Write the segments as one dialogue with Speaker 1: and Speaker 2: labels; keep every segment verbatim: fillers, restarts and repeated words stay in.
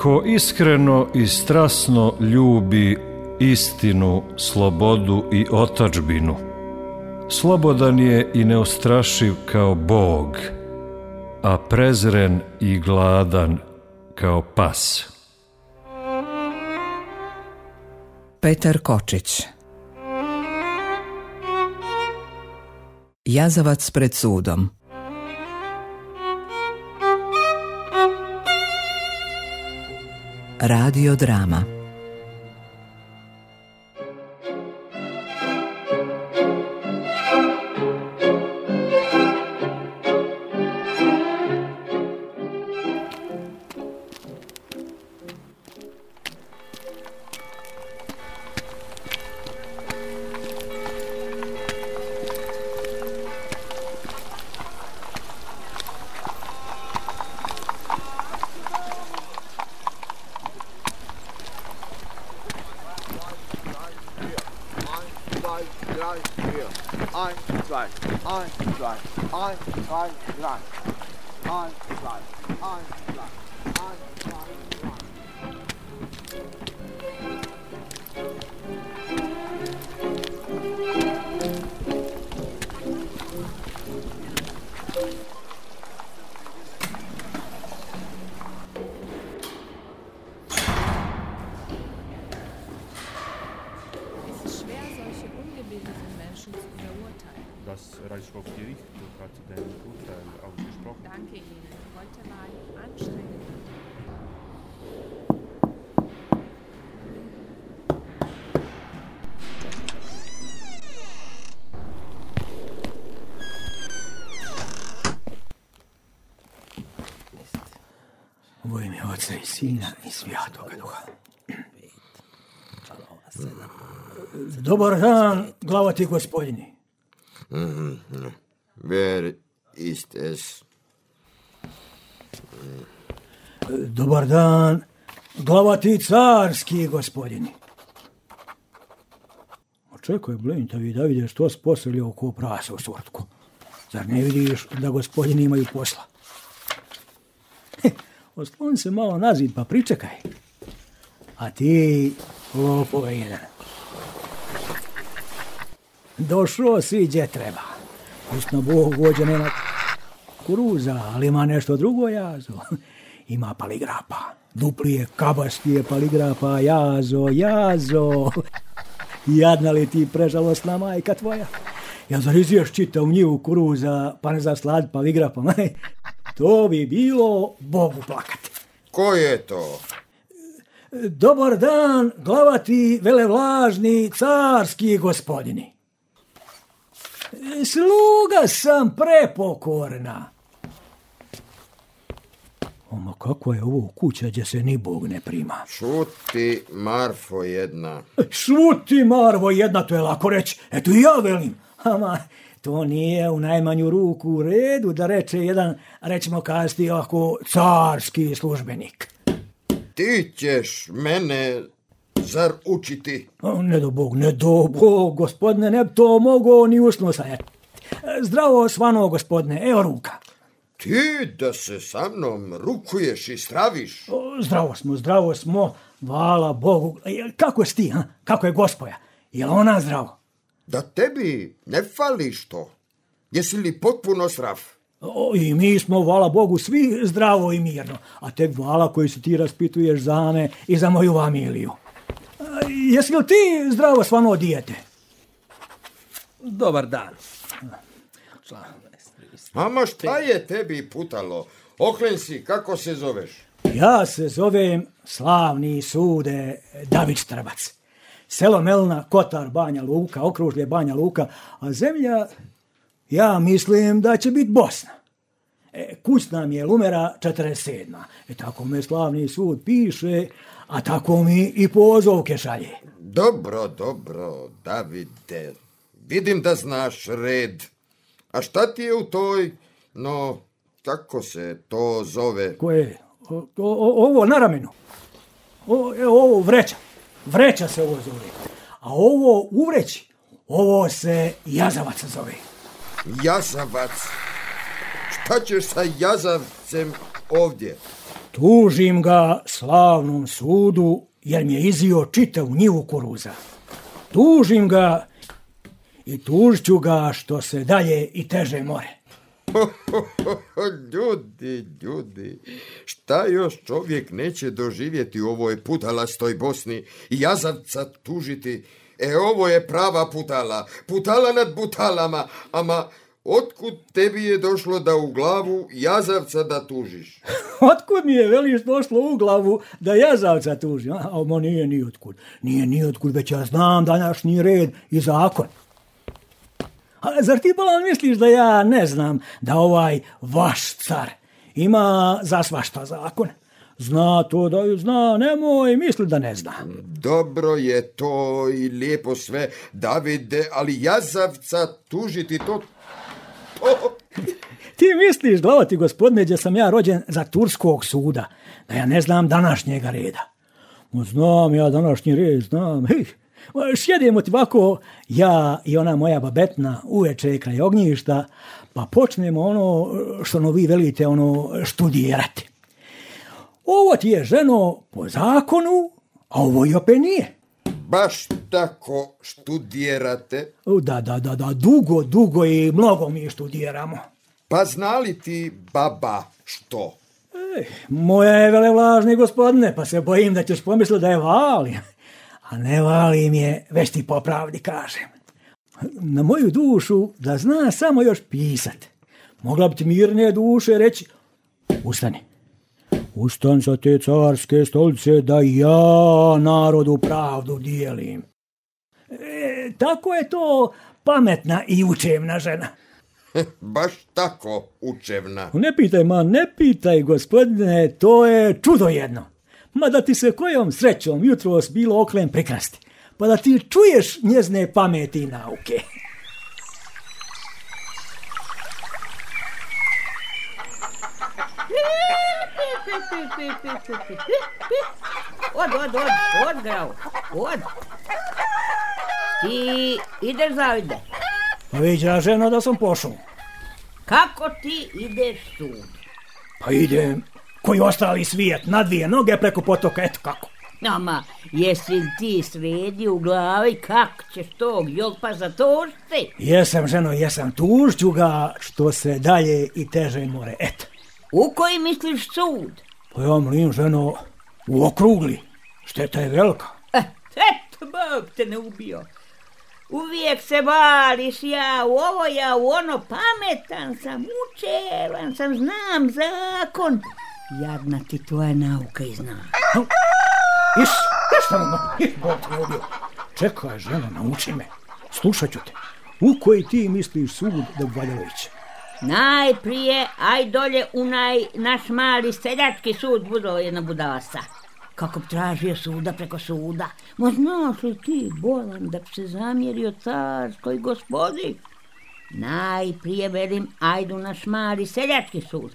Speaker 1: Ko iskreno i strasno ljubi istinu, slobodu i otadžbinu, slobodan je i neustrašiv kao Bog, a prezren i gladan kao pas.
Speaker 2: Petar Kočić. Jazavac pred sudom. Radio drama.
Speaker 3: Das Reichshofgericht hat den Urteil ausgesprochen.
Speaker 4: Danke Ihnen. Heute war anstrengend.
Speaker 5: U ime Oca i Sina i Svjatoga Duha. Dobar dan, glavati gospodini.
Speaker 6: Mm-hmm. Where is this?
Speaker 5: Dobar dan, glavati carski gospodini. Očekaj, blintavi, da vidiš to sposobljao ko prasa u sortku. Zar ne vidiš da gospodini imaju posla? Oslon se malo na zid pa pričekaj. A ti, lopove jedan. Došao si gdje treba. Pustno Bog vođa nema kuruza, ali ima nešto drugo jazo. Ima paligrapa. Duplije, kabastije paligrapa, jazo, jazo. Jadna li ti prežalostna majka tvoja? Ja zar izješ čitav njivu kuruza, pa ne zaslad paligrapom? To bi bilo Bogu plakati.
Speaker 6: Ko je to?
Speaker 5: Dobar dan, glavati, velevlažni, carski gospodini. Sluga sam prepokorna. Oma, kako je ovo kuća gdje se ni Bog ne prima?
Speaker 6: Šuti, Marfo jedna.
Speaker 5: Šuti, Marvo jedna, to je lako reći. Eto i ja velim. Ama, to nije u najmanju ruku u redu da reče jedan, rećemo kasti ovako, carski službenik.
Speaker 6: Ti ćeš mene zar učiti?
Speaker 5: Ne do Bog, ne do Bog, gospodine, ne bi to mogao ni usno sajati. Zdravo svano, gospodine, evo ruka.
Speaker 6: Ti da se sa mnom rukuješ i straviš?
Speaker 5: O, zdravo smo, zdravo smo, hvala Bogu. Kako si ti, ha? Kako je gospoja? Je li ona zdravo?
Speaker 6: Da tebi ne fali što? Jesi li potpuno zdrav?
Speaker 5: O, i mi smo, hvala Bogu, svi zdravo i mirno. A tek hvala koji se ti raspituješ za me i za moju familiju. A, jesi li ti zdravo svano dijete?
Speaker 7: Dobar dan.
Speaker 6: Ama šta je tebi putalo? Okren si, kako se zoveš?
Speaker 5: Ja se zovem slavni sude David Štrbac. Selo Melna, Kotar, Banja Luka, okružlje Banja Luka, a zemlja, ja mislim da će biti Bosna. E, kućna mi je Lumera četrdeset sedma. E, tako me slavni sud piše, a tako mi i pozovke šalje.
Speaker 6: Dobro, dobro, Davide. Vidim da znaš red. A šta ti je u toj, no, kako se to zove?
Speaker 5: Koje? O, o, ovo na ramenu. O, evo, ovo vreća. Vreća se ovo zove. A ovo u vreći, ovo se jazavac zove.
Speaker 6: Jazavac? Šta ćeš sa jazavcem ovdje?
Speaker 5: Tužim ga slavnom sudu, jer mi je izio čitavu njivu kuruza. Tužim ga i tužit ću ga što se dalje i teže more.
Speaker 6: Ljudi, ljudi, šta još čovjek neće doživjeti u ovoj putalastoj Bosni i jazavca tužiti? E, ovo je prava putala, putala nad putalama, ama otkud tebi je došlo da u glavu jazavca da tužiš?
Speaker 5: Otkud mi je, veliš, došlo u glavu da jazavca tužim? A, ma nije ni otkud, nije ni otkud, već ja znam današnji red i zakon. A zar ti bolan misliš da ja ne znam da ovaj vaš car ima za svašta zakon? Zna to da ju zna, nemoj misli da ne zna.
Speaker 6: Dobro je to i lijepo sve, Davide, ali jazavca tužiti to... to...
Speaker 5: Ti misliš, glavati gospodine, gdje sam ja rođen za turskog suda, da ja ne znam današnjega reda? No, znam ja današnji red, znam. Hej, sjedimo ti ovako, ja i ona moja babetna uveče kraj ognjišta, pa počnemo ono što no vi velite ono študirati. Ovo ti je, ženo, po zakonu, a ovo i opet nije.
Speaker 6: Baš tako študirate?
Speaker 5: Da, da, da, da, dugo, dugo i mnogo mi študiramo.
Speaker 6: Pa zna li ti baba što?
Speaker 5: Ej, moja je velevlažni gospodine, pa se bojim da ćeš pomisliti da je valim. A ne valim je, već ti po pravdi kažem. Na moju dušu da zna samo još pisat. Mogla bi ti mirne duše reći, ustani. Ustan sa te carske stolice da ja narodu pravdu dijelim. E, tako je to pametna i učevna žena.
Speaker 6: Baš tako učevna.
Speaker 5: Ne pitaj, ma, ne pitaj, gospodine, to je čudo jedno. Ma da ti se kojom srećom jutros bilo oklen prikrasti, pa da ti čuješ njezne pameti i nauke.
Speaker 7: Od, od, od, od, grao, od. Ti ideš zavide.
Speaker 5: Pa viđa, ženo, da sam pošao.
Speaker 7: Kako ti ideš sud?
Speaker 5: Pa idem, koji ostali svijet, na dvije noge preko potoka, eto kako.
Speaker 7: Ama, jesi li ti sredi u glavi kako ćeš tog jolpa zatužiti?
Speaker 5: Jesam, ženo, jesam, tužću ga što se dalje i teže more, eto.
Speaker 7: U koji misliš sud?
Speaker 5: Pa ja mlim, ženo, u okrugli, šteta je velika.
Speaker 7: Eh, eto, Bog te ne ubio. Uvijek se vališ, ja u ovo, ja u ono, pametan sam, učevan sam, znam zakon. Jadna ti tvoja nauka i zna.
Speaker 5: Iš, iš tamo, iš, Bog te ne ubio. Čekaj, ženo, nauči me, slušat ću te. U koji ti misliš sud da bi valjalo ići?
Speaker 7: Najprije, aj dolje u naj naš mali seljački sud budo jedna budasa. Kako bi tražio suda preko suda. Ma znaš li ti, bolan, da bi se zamjerio carskoj gospodi? Najprije velim, ajdu naš mali seljački sud.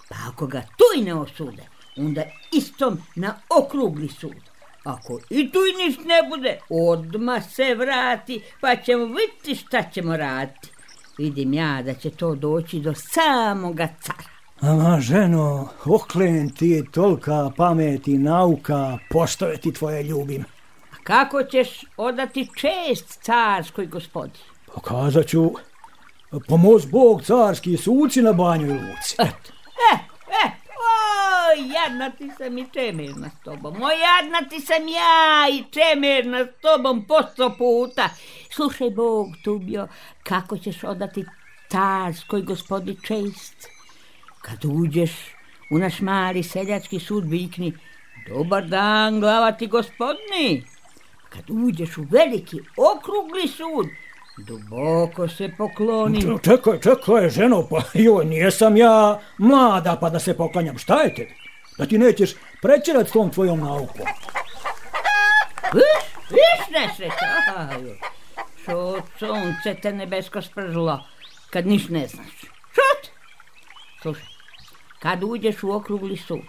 Speaker 7: Pa ako ga tu i ne osude, onda istom na okrugli sud. Ako i tu i niš ne bude, odmah se vrati, pa ćemo vidjeti šta ćemo raditi. Vidim ja da će to doći do samoga cara.
Speaker 5: Ama, ženo, oklen ti je tolika pamet i nauka, poštove ti tvoje ljubim.
Speaker 7: A kako ćeš odati čest carskoj gospodi?
Speaker 5: Pokazat ću, pomoz Bog carski suci na Banjoj Luci.
Speaker 7: Eto, e, e, oj, jadna ti sam i čemerna s tobom, oj, jadna ti sam ja i čemerna s tobom po sto puta. Slušaj, Bog tubio, kako ćeš odati carskoj gospodi čest? Kad uđeš u naš mali seljački sud, vikni, dobar dan, glavati gospodni. Kad uđeš u veliki okrugli sud, duboko se pokloni.
Speaker 5: Čekaj, čekaj, ženo, pa joj, nijesam ja mlada pa da se poklanjam, šta je tebi? Da ti nećeš prečerat s tom tvojom naukom.
Speaker 7: Viš, viš nesreća, šut, sunce te nebesko spržilo, kad niš ne znaš. Šut! Slušaj, kad uđeš u okrugli sud,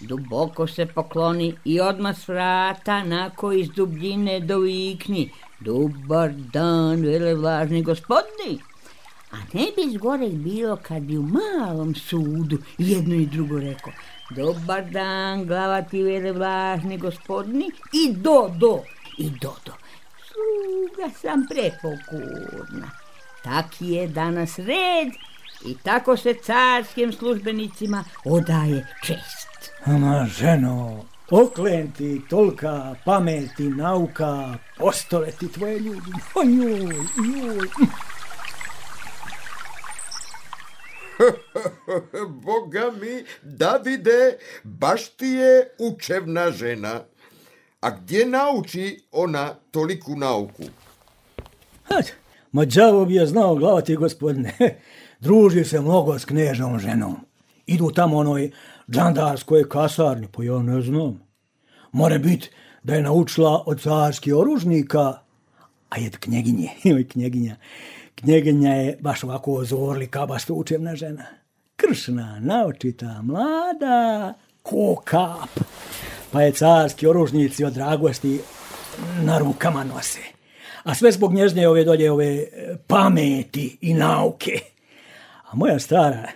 Speaker 7: duboko se pokloni i odmah s vrata nako iz dubljine dovikni, dobar dan, velevlažni gospodi. A ne bi zgorek bilo kad bi u malom sudu jedno i drugo rekao, Dobar dan, glavati velevlažni gospodni. I do, do, i do, do. Sluga sam prepokurna. Taki je danas red i tako se carskim službenicima odaje čest.
Speaker 5: Ama, ženo, oklenti tolika pameti, nauka, postole ti tvoje ljudi. Ojoj, ojoj.
Speaker 6: Boga mi, Davide, baš ti je učevna žena. A gdje nauči ona toliku nauku?
Speaker 5: Hat, ma đavo bi je znao, glavati gospodine. Druži se mnogo s knežom ženom. Idu tamo onoj džandarskoj kasarni, pa ja ne znam. More bit da je naučila od carskih oružnika, a je knjeginje, joj knjeginja. Knjeginja je baš ovako zorli kabasto učevna žena. Kršna, naočita, mlada, ko kap. Pa je carski oružnici od dragosti na rukama nose. A sve zbog nježne ove dolje ove pameti i nauke. A moja stara,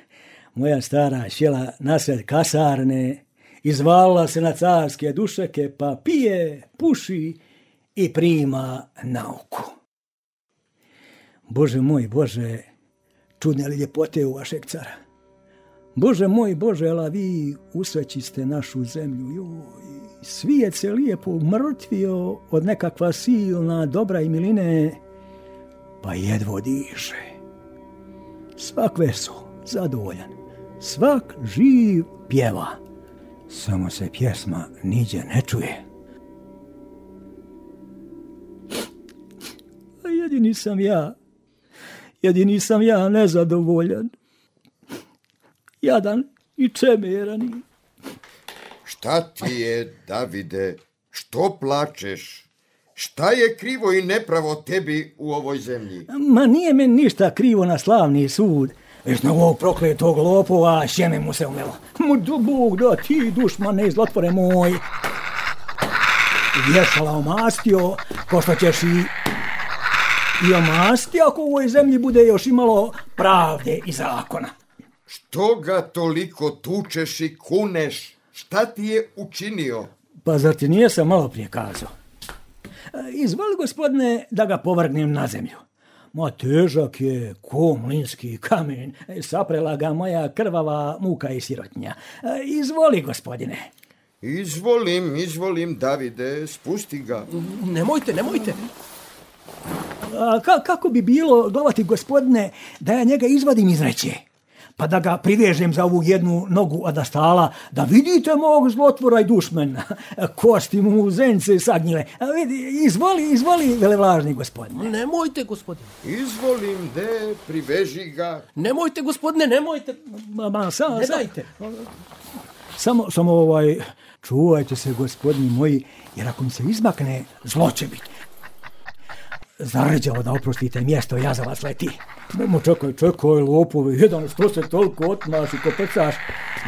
Speaker 5: moja stara sjela nasred kasarne, izvalila se na carske dušeke, pa pije, puši i prima nauku. Bože moj, Bože, čudne li ljepote u vašeg cara? Bože moj, Bože, ala vi usrećiste našu zemlju, joj, svijet se lijepo umrtvio od nekakva silna dobra i miline, pa jedvo diše. Svak veso, zadovoljan, svak živ pjeva, samo se pjesma niđe ne čuje. A jedini sam ja, jedini sam ja nezadovoljan, jadan i čemerani.
Speaker 6: Šta ti je, Davide? Što plačeš? Šta je krivo i nepravo tebi u ovoj zemlji?
Speaker 5: Ma nije meni ništa krivo na slavni sud, već na ovog prokletog lopova sjeme mu se umelo. Mu Bog da ti, dušmane, zlotvore moj. Vješala omastio, ko što ćeš i, i omasti ako u ovoj zemlji bude još imalo pravde i zakona.
Speaker 6: Što ga toliko tučeš i kuneš? Šta ti je učinio?
Speaker 5: Pa zar ti nije sam malo prije kazao? Izvoli, gospodine, da ga povrgnem na zemlju. Ma težak je ko mlinski kamen, saprela ga moja krvava muka i sirotnja. Izvoli, gospodine.
Speaker 6: Izvolim, izvolim, Davide, spusti ga.
Speaker 8: Nemojte, nemojte.
Speaker 5: A ka, kako bi bilo, glavati gospodine, da ja njega izvadim iz reće, pa da ga privežem za ovu jednu nogu adastala, da vidite mog zlotvora i dušmana, kosti mu zence sagnjile. A vidi, izvoli, izvoli, velevlažni gospodine.
Speaker 8: Nemojte, gospodine.
Speaker 6: Izvolim, de, priveži ga.
Speaker 8: Nemojte, gospodine, nemojte.
Speaker 5: Ma, ma, sam,
Speaker 8: ne
Speaker 5: sam,
Speaker 8: dajte.
Speaker 5: Samo, samo ovaj, čuvajte se, gospodini moji, jer ako mi se izmakne, zlo će biti. Zarđao da oprostite mjesto, ja za vas leti. Nemo, čekaj, čekaj, lopovi, jedan što se toliko otmaš i kopecaš.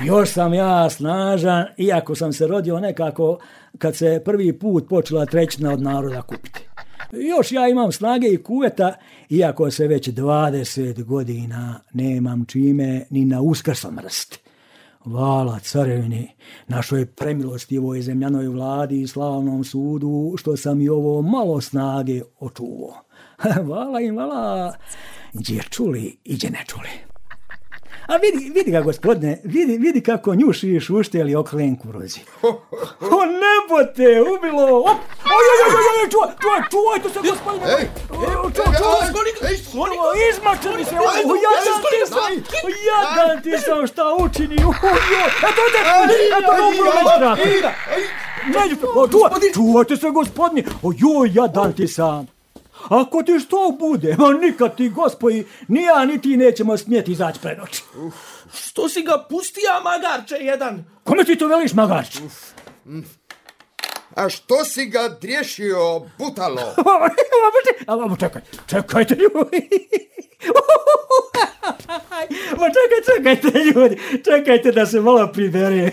Speaker 5: Još sam ja snažan, iako sam se rodio nekako kad se prvi put počela trećina od naroda kupiti. Još ja imam snage i kuveta, iako se već dvadeset godina nemam čime ni na uskrsom mrst. Vala carevini, našoj premilostivoj zemljanoj vladi i slavnom sudu, što sam i ovo malo snage očuvao. Vala im, vala, gdje čuli i gdje ne čuli. A vidi, vidi ga, gospodine, vidi, vidi kako njuši i šušteli oklen kurozi. O, nebo te ubilo! Oj, oj, oj, oj, oj, čuvaj, čuvaj, čuvajte se, gospodine!
Speaker 6: Ej,
Speaker 5: čuvaj, čuvaj, izmačeni se, o, jadan ti sam, jadan ti sam šta učini, ojoj, eto, eto, eto, dobro, međutraka. Čuvaj, čuvajte se, gospodine, ojoj, jadan ti sam. Ako ti što bude, ma nikad ti, gospodi, ni ja ni ti nećemo smjeti izaći pred oči.
Speaker 8: Što si ga pustija, magarče jedan?
Speaker 5: Kome ti to veliš, magarče?
Speaker 6: A što si ga driješio, butalo?
Speaker 5: A čekaj, čekajte ljudi. Ma čekaj, čekajte ljudi, čekajte da se malo pribere.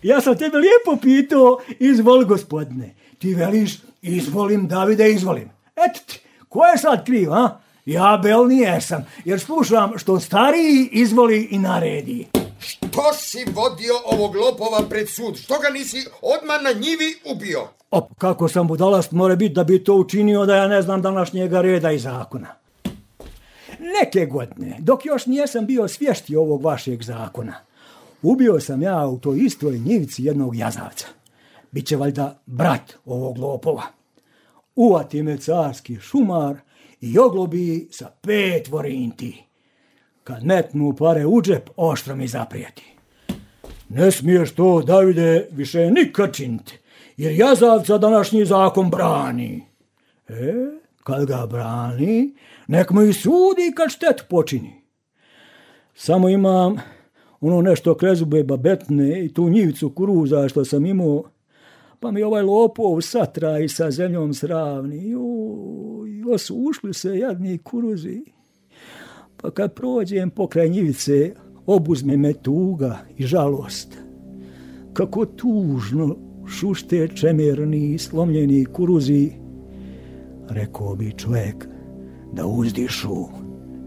Speaker 5: Ja sam tebe lijepo pitao, izvoli, gospodine. Ti veliš, izvolim, Davide, izvolim. Eto ti, ko je sad kriv, a? Ja bel nijesam, jer slušam što stariji izvoli i naredi.
Speaker 6: Što Što si vodio ovog lopova pred sud? Što ga nisi odmah na njivi ubio?
Speaker 5: Op, kako sam budalast more biti da bi to učinio da ja ne znam današnjega reda i zakona. Neke godine, dok još nijesam bio svješti ovog vašeg zakona, ubio sam ja u toj istoj njivici jednog jazavca. Biće valjda brat ovog lopova. Uvati me carski šumar i oglobi sa pet vorinti. Kad metnu pare u džep, oštro mi zaprijeti. Ne smiješ to, Davide, više nikad činiti, jer jazavca današnji zakon brani. E, kad ga brani, nek mu i sudi kad štetu počini. Samo imam ono nešto krezube babetne i tu njivicu kuruza što sam imao, pa mi ovaj lopov satra i sa zemljom sravni. Joj, su ušli se jadni kuruzi. Pa kad prođem pokraj njivice, obuzme me tuga i žalost. Kako tužno šušte čemerni slomljeni kuruzi, rekao bi čovjek da uzdišu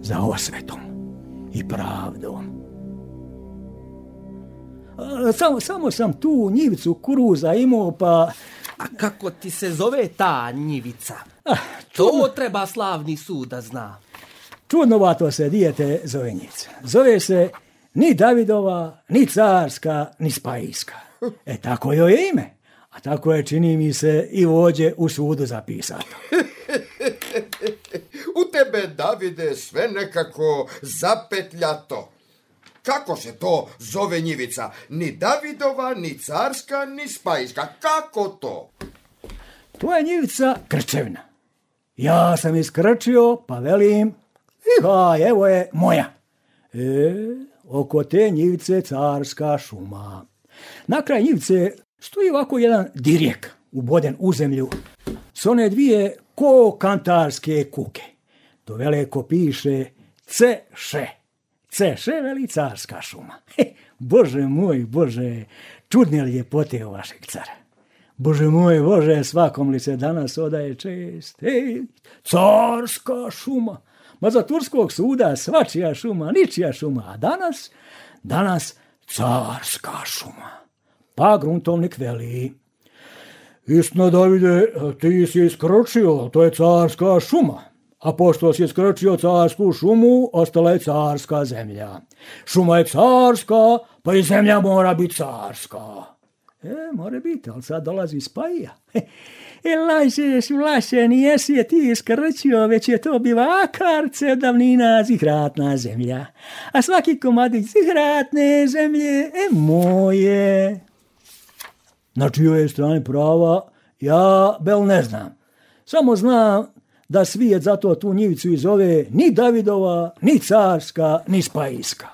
Speaker 5: za osvetom i pravdom. A, samo, samo sam tu njivicu kuruza imao, pa...
Speaker 8: A kako ti se zove ta njivica?
Speaker 5: Ah,
Speaker 8: to treba slavni sud da zna.
Speaker 5: Čudnovato se dijete zove njivica. Zove se ni Davidova, ni carska, ni spajska. E, tako joj je ime. A tako je, čini mi se, i vođe u sudu zapisato.
Speaker 6: U tebe, Davide, sve nekako zapetljato. Kako se to zove njivica? Ni Davidova, ni carska, ni spajska. Kako to?
Speaker 5: To je njivica krčevna. Ja sam iskrčio, pa velim, ha, evo je moja. E, oko te njivice carska šuma. Na kraj njivice stoji ovako jedan dirjek uboden u zemlju s one dvije ko kantarske kuke. To veleko piše ce-še. Ce-še veli carska šuma. He, Bože moj, Bože, čudne ljepote u vašeg cara. Bože moj, Bože, svakom li se danas odaje čest. Hej, carska šuma. Ma za turskog suda svačija šuma, ničija šuma. A danas, danas carska šuma. Pa gruntovnik veli, istina, Davide, ti si iskročio, to je carska šuma. A pošto si iskročio carsku šumu, ostala je carska zemlja. Šuma je carska, pa i zemlja mora biti carska. E, mora biti, ali sad dolazi spajija. E, lažeš, vlaše, nijesi je ti iskrčio, već je to bivakarce davnina zihratna zemlja. A svaki komadić zihratne zemlje je moje. Na čijoj je strani prava, ja bel ne znam. Samo znam da svijet zato tu njivicu i zove ni Davidova, ni carska, ni spajska.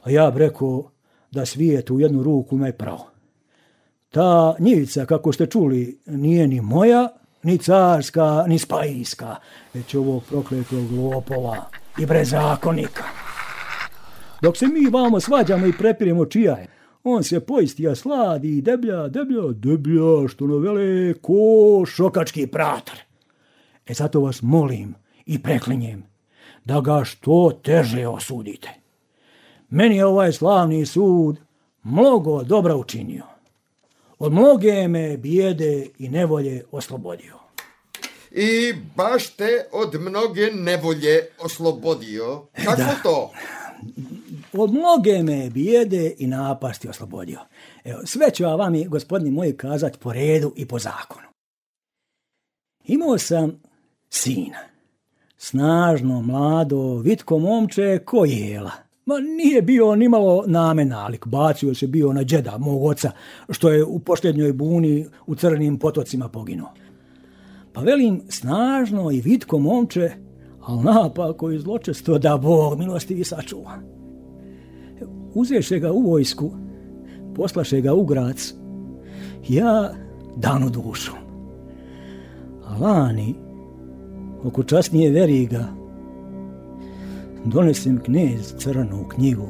Speaker 5: A ja bi rekao da svijet u jednu ruku me pravo. Ta njivica, kako ste čuli, nije ni moja, ni carska, ni spajska, već ovog prokletog lopova i brezakonika. Dok se mi vamo svađamo i prepiremo čija je, on se poistija sladi i deblja, deblja, deblja, što novele ko šokački pratar. E zato vas molim i preklinjem da ga što teže osudite. Meni je ovaj slavni sud mnogo dobra učinio. Od mnoge me bijede i nevolje oslobodio.
Speaker 6: I baš te od mnoge nevolje oslobodio. Kako
Speaker 5: da.
Speaker 6: to?
Speaker 5: Od mnoge me bijede i napasti oslobodio. Evo, sve ću vam, gospodine moji, kazati po redu i po zakonu. Imao sam sina, snažno, mlado, vitko momče ko jela. Ma nije bio ni malo namen nalik, bacio se bio na džeda mog oca, što je u posljednjoj buni u crnim potocima poginuo. Pa velim, snažno i vitko momče, ali napako i zločesto da Bog milostivi sačuva. Uzeše ga u vojsku, poslaše ga u Grac, ja danu dušu. A lani, oko časnije veriga, donesem knez crnu knjigu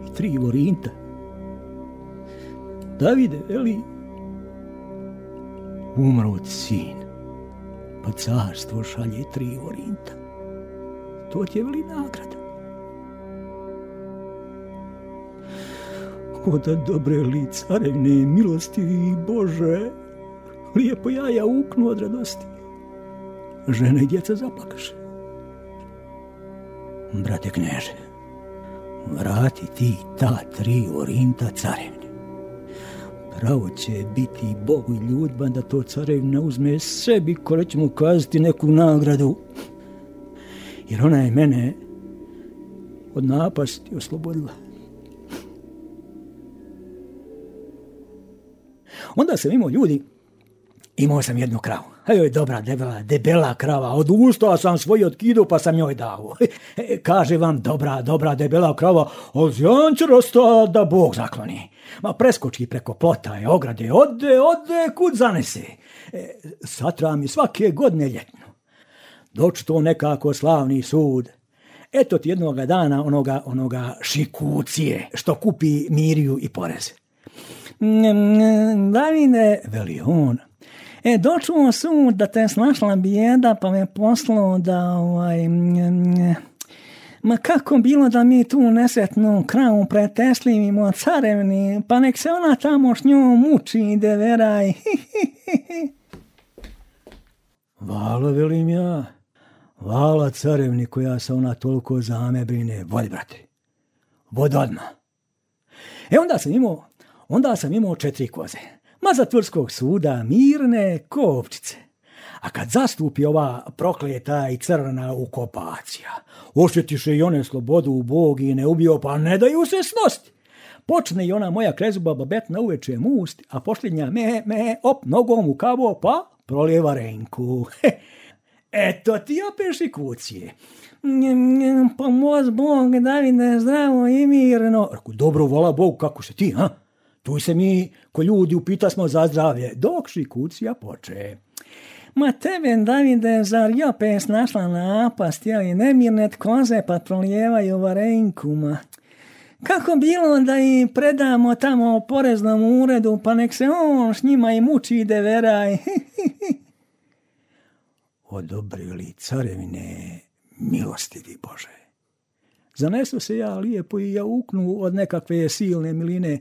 Speaker 5: i tri vorinta. Davide, veli, umro ti sin, pa carstvo šalje tri vorinta. To ti je, veli, nagrada. O da dobre li carevne milostivi Bože, lijepo jaja uknu od radosti. Žena i djeca zaplakaše. Brate kneže, vrati ti ta tri orinta carevne. Pravo će biti Bogu i ljudba da to carevna uzme sebi, ko će mu kazati neku nagradu. Jer ona je mene od napasti oslobodila. Onda sam imao ljudi, imao sam jednu kravu. A joj, dobra, debela, debela krava, od usta sam svoj otkidu pa sam joj dao. Kaže vam, dobra, dobra, debela krava, od zjančarosta da Bog zakloni. Ma preskoči preko plota i ograde, ode, ode, kud zanese. E, satra mi svake godine ljetno. Doći to nekako slavni sud. Eto ti jednoga dana onoga, onoga šikucije, što kupi miriju i porez. Davide, veli on, e, dočuo sud da te snašla bijeda, pa me poslao da, ovaj, ma kako bilo da mi tu nesretnu kravu preteslivimo carevni, pa nek se ona tamo s njom muči i deveraj. Vala, velim ja, vala carevni koja se ona toliko za me brine, vod, brate, vod odmah. E onda sam imao, onda sam imao četiri koze, ma zatvorskog suda, mirne kopčice. A kad zastupi ova prokleta i crna ukopacija, ošetiše i one slobodu u Bog i ne ubio, pa ne daju se snosti. Počne i ona moja krezuba babetna uveče must, a posljednja me, me, op, nogom u kavo, pa prolijeva renku. Eto ti opet šikucije. Pomoz Bog, Davide, zdravo i mirno. Reku, dobro, vola Bog, kako se ti, ha? Tu se mi, ko ljudi, upita smo za zdravlje, dok šikucija poče. Ma tebe, Davide, zar je opet snašla napast, jeli nemirne koze pa prolijevaju varenku, ma. Kako bilo da i predamo tamo poreznom uredu, pa nek se on s njima i muči i deveraj. Odobrili carevine milostivi Bože. Zanesu se ja lijepo i ja uknu od nekakve silne miline,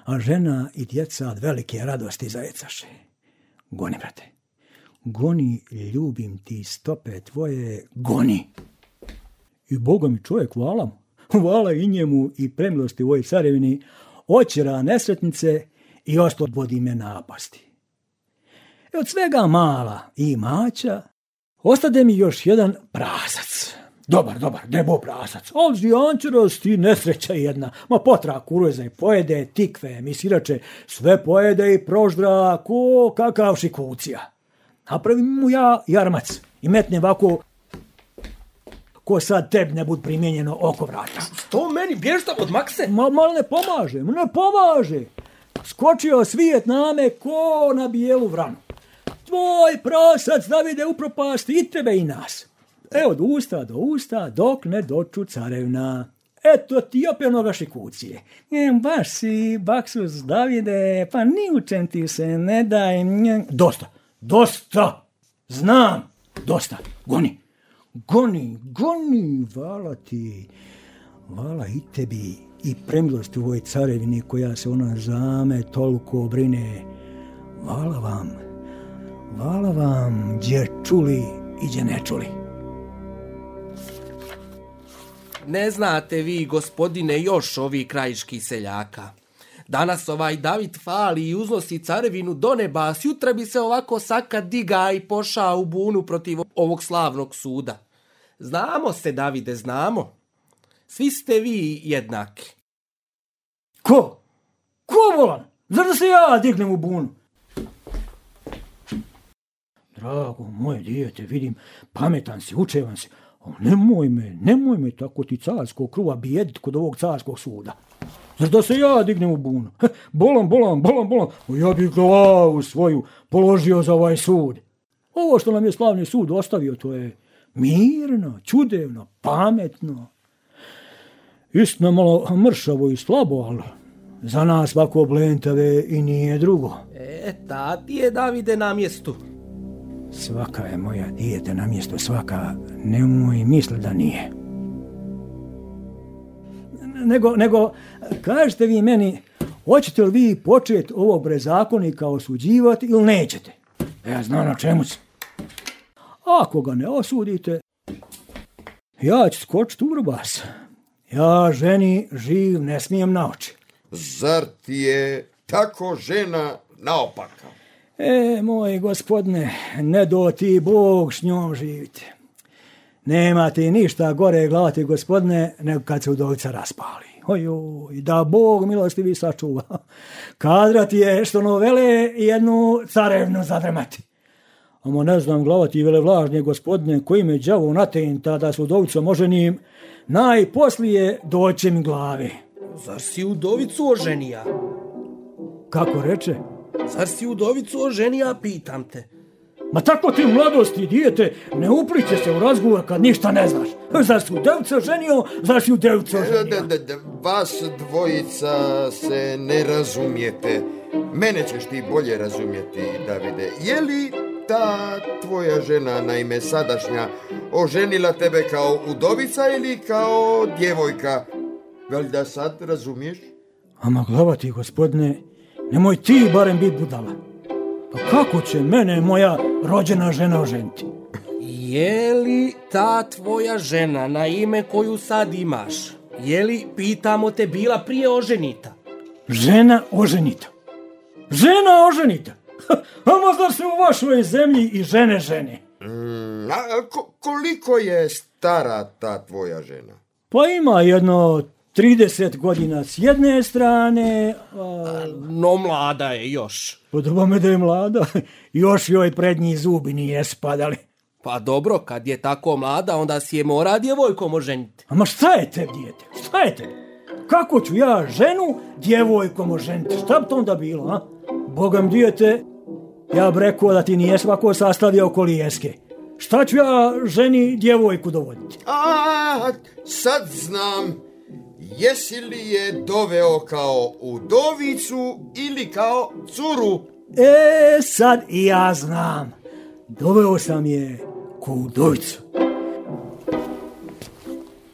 Speaker 5: a žena i djeca od velike radosti zajecaše. Goni, brate, goni, ljubim ti stope tvoje, goni. I Boga mi čovjek, hvala mu, hvala i njemu i premilosti ovoj carevini, očera nesretnice i oslobodi me napasti. I od svega mala i mača ostade mi još jedan prasac. Dobar, dobar, debo prasac. Al zvijančarost i nesreća jedna. Ma potra kuruza i pojede, tikve, misirače, sve pojede i proždra ko kakav šikucija. Napravim mu ja jarmac i metnem ovako ko sad tebi ne bud primjenjeno oko vrata.
Speaker 8: Što meni, bježta od makse?
Speaker 5: Ma, mal ne pomaže, ne pomaže. Skočio svijet na me ko na bijelu vranu. Tvoj prasac, Davide, upropasti i tebe i nas. E, od usta do usta, dok ne doču carevna. Eto ti opet onoga šikucije. E, baš si, baksus, Davide, pa ni u čem ti se ne daj. Dosta, dosta, znam, dosta, goni, goni, goni, vala ti, vala i tebi i premilosti u ovoj carevini koja se ona za me toliko brine. Vala vam, vala vam, gdje čuli i gdje ne čuli.
Speaker 8: Ne znate vi, gospodine, još ovi krajiški seljaka. Danas ovaj David fali i uznosi carevinu do neba, a sjutra bi se ovako saka diga i poša u bunu protiv ovog slavnog suda. Znamo se, Davide, znamo. Svi ste vi jednaki.
Speaker 5: Ko? Ko, volan? Zar da se ja dignem u bunu? Drago moje dijete, vidim, pametan si, učevan si. Nemoj me, nemoj me tako ti carskog kruva bijedit kod ovog carskog suda. Zar da se ja dignem u bunu? Bolam, bolam, bolam, bolam. Ja bih glavu svoju položio za ovaj sud. Ovo što nam je slavni sud ostavio, to je mirno, čudevno, pametno. Istina malo mršavo i slabo, ali za nas ovako blentave i nije drugo.
Speaker 8: E, ta ti je, Davide, na mjestu.
Speaker 5: Svaka je moja dijete na mjestu, svaka, nemoj misli da nije. Nego, nego, kažete vi meni, hoćete li vi početi ovog bezakonika osuđivati ili nećete? Ja znam na čemu se. Ako ga ne osudite, ja ću skočiti u vrbas. Ja ženi živ ne smijem na oči.
Speaker 6: Zar ti je tako žena naopaka?
Speaker 5: E, moj gospodine, ne do ti Bog s njom živite. Nema ti ništa gore glavati, gospodine, nego kad se udovica raspali. Ojoj, da Bog milostivi sačuva. Kadra ti je što novele jednu carevnu zadremati. Amo ne znam, glavati vele vlažnje, gospodine, koji me đavo natenta da s udovicom oženim, najposlije doće mi glave.
Speaker 8: Zar si udovicu oženija?
Speaker 5: Kako reče?
Speaker 8: Zar si udovicu oženija, pitam te.
Speaker 5: Ma tako ti u mladosti, dijete, ne upliče se u razgovor kad ništa ne znaš. Zar si udovicu oženio, zar si udovicu oženio?
Speaker 6: Da, da, da, vas dvojica se ne razumijete. Mene ćeš ti bolje razumjeti, Davide. Je li ta tvoja žena, naime sadašnja, oženila tebe kao udovica ili kao djevojka? Valjda sad razumiješ?
Speaker 5: Ama glavati, gospodine, nemoj ti barem biti budala. Pa kako će mene moja rođena žena oženiti?
Speaker 8: Je li ta tvoja žena na ime koju sad imaš, je li, pitamo te, bila prije oženita?
Speaker 5: Žena oženita? Žena oženita? A možda se u vašoj zemlji i žene žene?
Speaker 6: Mm, a ko, koliko je stara ta tvoja žena?
Speaker 5: Pa ima jedno trideset godina s jedne strane, a...
Speaker 8: No mlada je još.
Speaker 5: Podoba me da je mlada, još joj prednji zubi nije spadali.
Speaker 8: Pa dobro, kad je tako mlada, onda si je mora djevojkom oženiti.
Speaker 5: Ama šta je te, dijete? Šta je te? Kako ću ja ženu djevojkom oženiti? Šta bi to onda bilo, a? Bogam, dijete, ja bi rekao da ti nije svako sastavljao kolijeske. Šta ću ja ženi djevojku dovoditi?
Speaker 6: A, sad znam. Jesi li je doveo kao udovicu ili kao curu?
Speaker 5: E, sad i ja znam. Doveo sam je ko udovicu.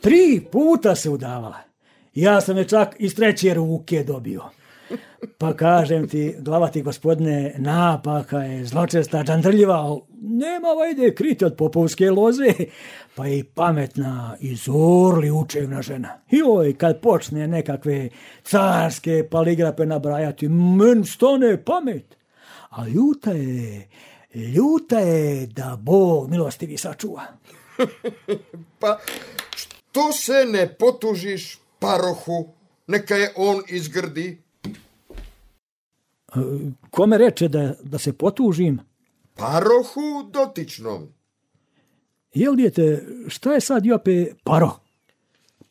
Speaker 5: Tri puta se udavala. Ja sam je čak iz treće ruke dobio. Pa kažem ti, glavati gospodine, napaka je zločesta, džandrljiva, nema vajde kriti od popovske loze, pa je i pametna i zorli učevna žena. I oj, kad počne nekakve carske paligrape nabrajati, men stane pamet. A ljuta je, ljuta je da Bog milostivi sačuva.
Speaker 6: Pa što se ne potužiš parohu, neka je on izgrdi.
Speaker 5: Kome reče da, da se potužim?
Speaker 6: Parohu dotičnom.
Speaker 5: Jel, dijete, šta je sad jope paro?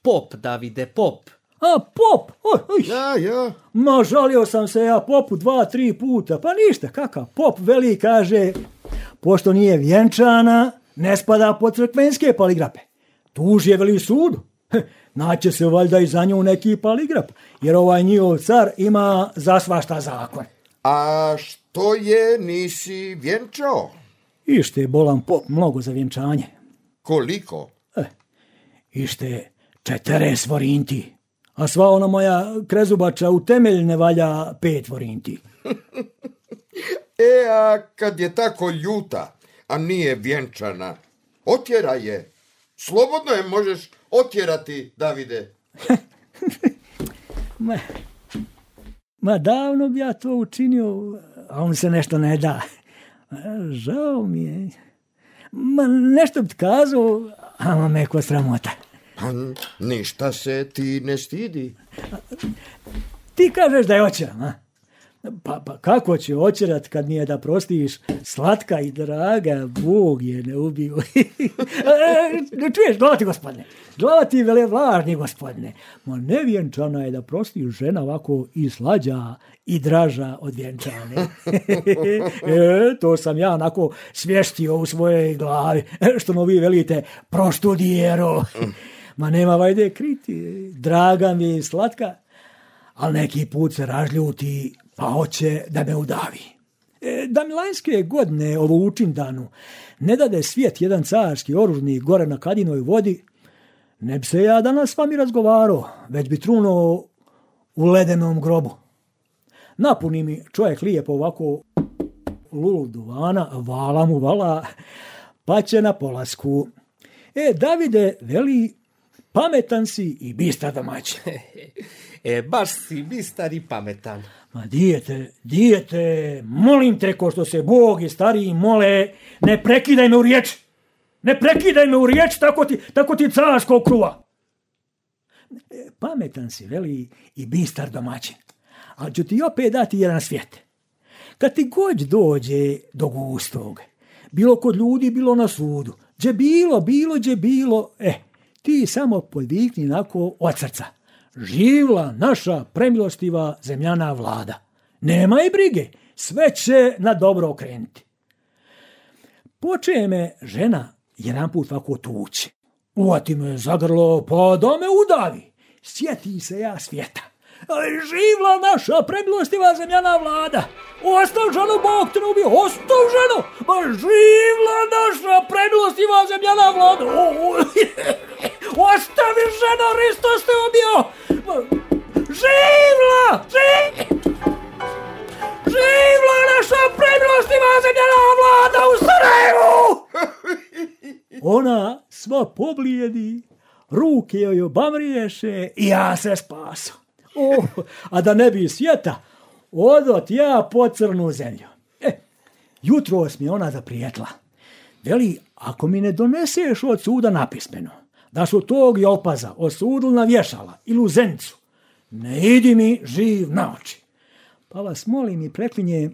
Speaker 8: Pop, Davide, pop.
Speaker 5: A, pop! Oj, oj.
Speaker 6: Ja, ja.
Speaker 5: Ma, žalio sam se ja popu dva, tri puta. Pa ništa, kakav pop veli, kaže, pošto nije vjenčana, ne spada pod crkvenske paligrape. Tuž je veli u sudu. Naće se valjda i za nju neki paligrap, jer ovaj njihov car ima za svašta zakon.
Speaker 6: A što je nisi vjenčao?
Speaker 5: Ište bolan pop mnogo za vjenčanje.
Speaker 6: Koliko?
Speaker 5: E, ište četeres vorinti, a sva ona moja krezubača u temelj ne valja pet vorinti.
Speaker 6: E, a kad je tako ljuta, a nije vjenčana, otjera je. Slobodno je možeš otjerati, Davide.
Speaker 5: ma, ma davno bi ja to učinio, a on se nešto ne da. Žao mi je. Ma nešto bi kazao, a me ko sramota.
Speaker 6: Pa ništa se ti ne stidi.
Speaker 5: Ti kažeš da je oćeram, a? Pa, pa kako će oćerat kad nije da prostiš slatka i draga, Bog je ne ubio. Čuješ, glavati gospodine, glavati vele vlažni gospodine, ma nevjenčana je da prostiš žena ovako i slađa i draža od vjenčane. e, to sam ja onako svještio u svojoj glavi, što no vi velite proštudijero. Ma nema vajde kriti, draga mi je slatka, ali neki put se ražljuti, pa hoće da me udavi. E, da mi lanjske godine ovo učindanu ne dade svijet jedan carski oružnik gore na Kadinoj vodi, ne bi se ja danas s vami razgovarao, već bi trunuo u ledenom grobu. napuni mi čovjek lijepo ovako lulu duvana, vala mu vala, pa će na polasku. E, Davide, veli, pametan si i bistar domaćin.
Speaker 8: E, baš si bistar i pametan.
Speaker 5: Ma dijete, dijete, molim te, ko što se Bog i stariji mole, ne prekidaj me u riječ. Ne prekidaj me u riječ, tako ti, tako ti carskog kruva. E, pametan si, veli, i bistar domaćin. Ali ću ti opet dati jedan svijet. Kad ti god dođe do gustog, bilo kod ljudi, bilo na sudu, gdje bilo, bilo, gdje bilo, e, ti samo podvikni nako od srca. Živla naša premilostiva zemljana vlada. Nema i brige, sve će na dobro okrenuti. Poče me žena jedan put ovako tući. Uvati me za grlo, pa da me udavi. Sjeti se ja svijeta. Živla naša premilostiva zemljana vlada. Ostav ženu, Bog te ne ubio, ostav ženu. Ma živla naša premilostiva zemljana vlada. O, o, ostavi ženo, Hristos te ubio. Živla, živla. Živla naša premilostiva zemljana vlada u Sarajevu. Ona sva poblijedi, ruke joj obamriješe i ja se spasu. Oh, a da ne bi svijeta, odot ja po crnu zemlju. E, jutros mi ona zaprijetla. Veli, ako mi ne doneseš od suda napismeno, da su tog Jopaza osudili na vješala ili u Zenicu, ne idi mi živ na oči. Pa vas molim i preklinjem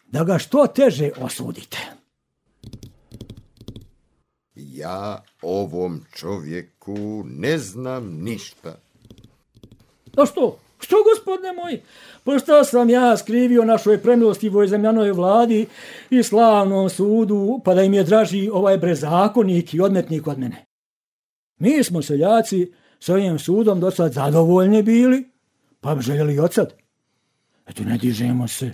Speaker 5: da ga što teže osudite.
Speaker 6: Ja ovom čovjeku ne znam ništa.
Speaker 5: A što? Što, gospodine moji? Pa šta sam ja skrivio našoj premilostivoj zemljanoj vladi i slavnom sudu, pa da im je draži ovaj bezakonik i odmetnik od mene? Mi smo seljaci s ovim sudom do sad zadovoljni bili, pa bi željeli od sad. Eto, ne dižemo se,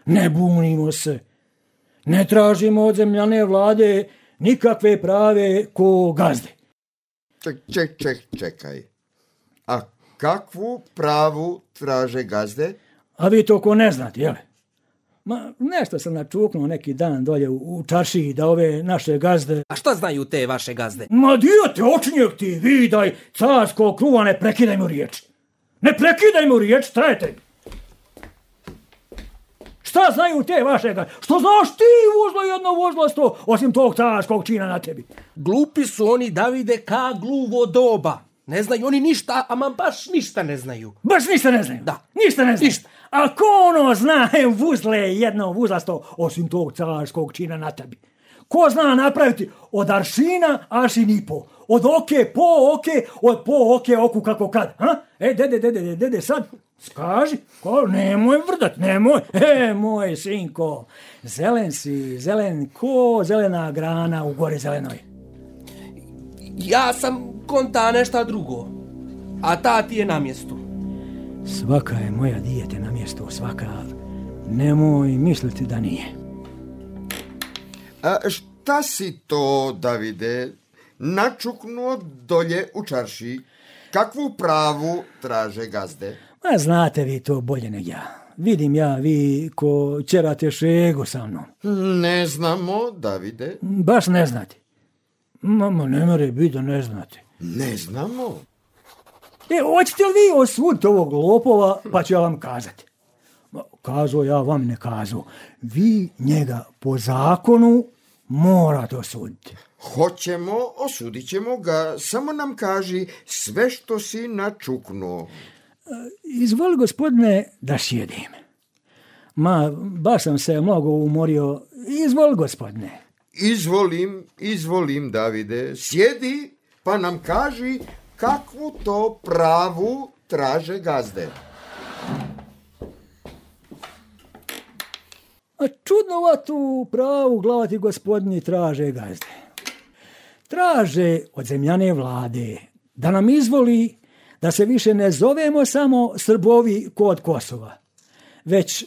Speaker 5: ne bunimo se, ne tražimo od zemljane vlade nikakve prave ko gazde.
Speaker 6: Ček, ček, ček, čekaj. A kakvu pravu traže gazde?
Speaker 5: A vi to ko ne znate, jel? Ma, nešto sam načuknuo neki dan dolje u, u čaršiji da ove naše gazde...
Speaker 8: A šta znaju te vaše gazde?
Speaker 5: Ma dijete, očinjeg ti, vidaj, carsko kruva, ne prekidaj mu riječ. Ne prekidaj mu riječ, trajete. Šta znaju te vaše gazde? Što znaš ti vuzlo jedno vuzlosto, osim tog carskog čina na tebi?
Speaker 8: Glupi su oni, Davide, ka gluvo doba. Ne znaju oni ništa, ama baš ništa ne znaju.
Speaker 5: Baš ništa ne znaju?
Speaker 8: Da.
Speaker 5: Ništa ne znaju?
Speaker 8: Ništa.
Speaker 5: A ko ono zna vuzle jedno vuzlasto, osim tog carskog čina na tebi? Ko zna napraviti od aršina aršin i po? Od oke po oke, od po oke oku kako kad? Ha? E, dede, dede, dede, dede, sad skaži, ko, nemoj vrdat, nemoj. E, moj sinko, zelen si, zelen ko zelena grana u gori zelenoj.
Speaker 8: Ja sam konta nešto drugo, a ta ti je na mjestu.
Speaker 5: Svaka je moja dijete na mjestu, svaka. Nemoj misliti da nije.
Speaker 6: A šta si to, Davide, načuknuo dolje u čarši? Kakvu pravu traže gazde?
Speaker 5: Ma znate vi to bolje nego ja. Vidim ja, vi ko ćerate šegu sa mnom.
Speaker 6: Ne znamo, Davide.
Speaker 5: Baš ne znate. Mama, ne more biti da ne znate.
Speaker 6: Ne znamo.
Speaker 5: E, hoćete li vi osuditi ovog lopova, pa ću ja vam kazati. Kazo, ja vam ne kazo. Vi njega po zakonu morate osuditi.
Speaker 6: Hoćemo, osudit ćemo ga, samo nam kaži sve što si načuknuo.
Speaker 5: Izvoli, gospodine, da sjedim. Ma, baš sam se mnogo umorio. Izvoli, gospodine.
Speaker 6: Izvolim, izvolim, Davide. Sjedi, pa nam kaži kakvu to pravu traže gazde.
Speaker 5: A čudnovatu pravu glavati gospodini traže gazde. Traže od zemljane vlade da nam izvoli da se više ne zovemo samo Srbovi kod Kosova, već e,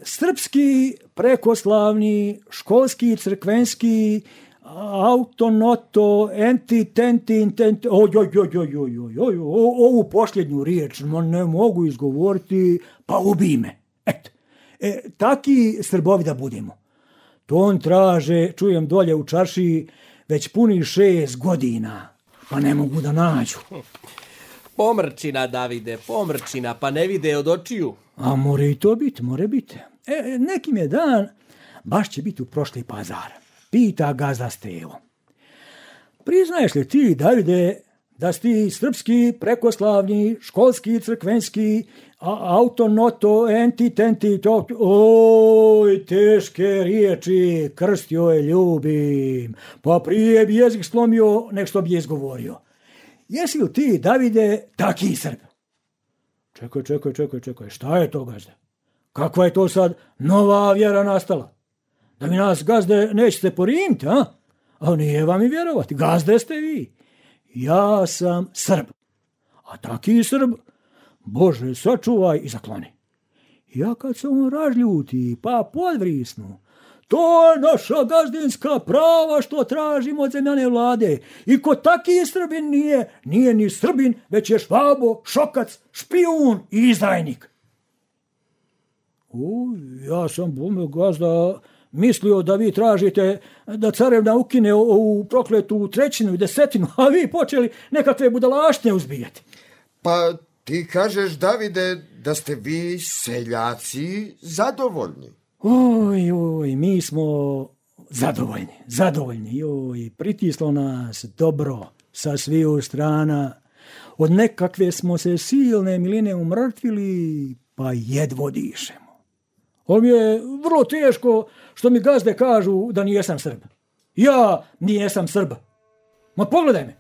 Speaker 5: srpski, prekoslavni, školski, crkvenski, autonoto, enti, tenti, intenti, oj, oj, oj, oj, oj, oj, oj, ovu posljednju riječ ne mogu izgovoriti, pa ubi me. E, taki Srbovi da budemo. To on traže, čujem dolje u čaršiji, već puni šest godina, pa ne mogu da nađu.
Speaker 8: Pomrčina, Davide, pomrčina, pa ne vide od očiju.
Speaker 5: A more i to biti, more biti. E, nekim je dan, baš će biti u prošli pazar. Pita gazda Stevo. Priznaješ li ti, Davide, da si ti srpski, prekoslavni, školski, crkvenski, a, autonoto, entitenti, to... Oj, teške riječi, krstio je ljubim, pa prije bi jezik slomio nek što bi je izgovorio. Jesi li ti, Davide, taki Srb? Čekaj, čekaj, čekaj, čekaj, šta je to, gazde? Kakva je to sad nova vjera nastala? Da mi nas, gazde, nećete porimiti, a? A nije vam i vjerovati, gazde ste vi. Ja sam Srb, a taki Srb, Bože, sačuvaj i zakloni. Ja kad se on razljuti, pa podvrisnu, to je naša gazdinska prava što tražimo od zemljane vlade. I ko taki Srbin nije, nije ni Srbin, već je švabo, šokac, špijun i izdajnik. U, ja sam, bome, gazda, mislio da vi tražite da carevna ukine ovu prokletu trećinu i desetinu, a vi počeli nekakve budalaštine uzbijati.
Speaker 6: Pa ti kažeš, Davide, da ste vi seljaci zadovoljni.
Speaker 5: Oj, oj, mi smo zadovoljni, zadovoljni. Oj, pritislo nas dobro sa sviju strana. Od nekakve smo se silne miline umrtvili, pa jedvo dišemo. Ovo mi je vrlo teško što mi gazde kažu da nijesam Srb. Ja nijesam Srb. Ma pogledaj me.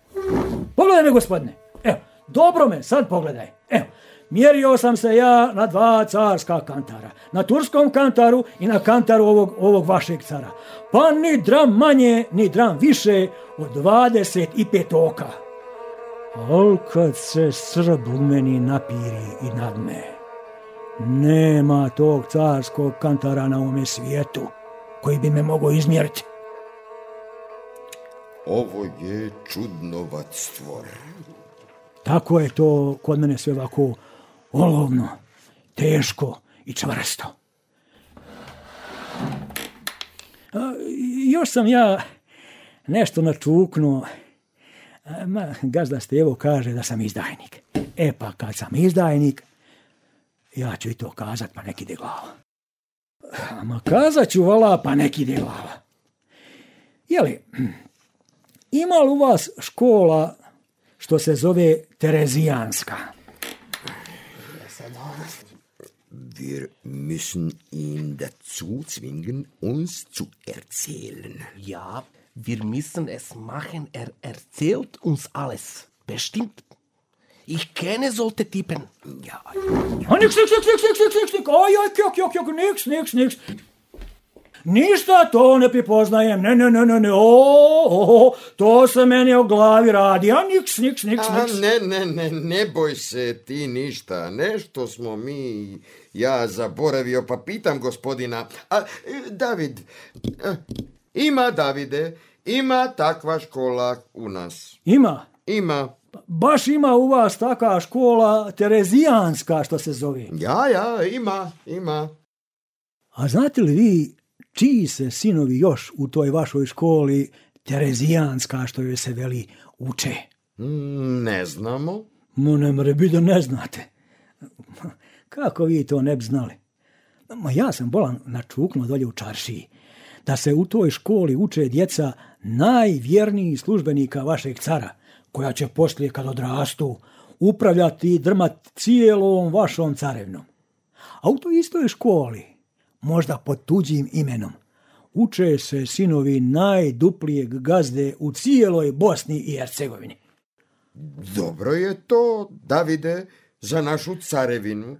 Speaker 5: Pogledaj me, gospodine. Evo, dobro me, sad pogledaj. Evo, mjerio sam se ja na dva carska kantara. Na turskom kantaru i na kantaru ovog, ovog vašeg cara. Pa ni dram manje, ni dram više od dvadeset pet oka. Al kad se Srb u meni napiri i nadme, nema tog carskog kantara na ovome svijetu koji bi me mogao izmjeriti.
Speaker 6: Ovo je čudnovat stvor.
Speaker 5: Tako je to kod mene sve ovako olovno, teško i čvrsto. A, još sam ja nešto načuknuo. Ma, gazda Stevo kaže da sam izdajnik. E pa kad sam izdajnik, ja ću i to kazat, pa nek ide glava. Ma kazat ću, vala, pa nek ide glava. Jeli, ima li u vas škola što se zove Terezijanska?
Speaker 6: Wir müssen ihn dazu zwingen, uns zu erzählen.
Speaker 8: Ja, wir müssen es machen, er erzählt uns alles. Bestimmt. Ich kenne solche Typen.
Speaker 6: Ja.
Speaker 5: A niks, niks, niks, niks, niks, niks, niks, oj, oj, kjok, kjok, kjok, niks, niks, niks. Ništa to ne prepoznajem, ne, ne, ne, ne, ne, o, o, to se meni o glavi radi, a niks, niks, niks, niks.
Speaker 6: A ne, ne, ne, ne boj se ti ništa, nešto smo mi, ja zaboravio, pa pitam gospodina, a, David, ima, Davide, ima takva škola u nas.
Speaker 5: Ima?
Speaker 6: Ima.
Speaker 5: Baš ima u vas taka škola Terezijanska što se zove.
Speaker 6: Ja, ja, ima, ima.
Speaker 5: A znate li vi čiji se sinovi još u toj vašoj školi Terezijanska što joj se veli uče?
Speaker 6: Ne znamo.
Speaker 5: Mo ne more biti da ne znate. Kako vi to ne bi znali? Ma ja sam bolan načuknuo dolje u čaršiji da se u toj školi uče djeca najvjernijih službenika vašeg cara, koja će poslije kad odrastu upravljati i drmat cijelom vašom carevnom. A u toj istoj školi, možda pod tuđim imenom, uče se sinovi najduplijeg gazde u cijeloj Bosni i Hercegovini.
Speaker 6: Dobro je to, Davide, za našu carevinu.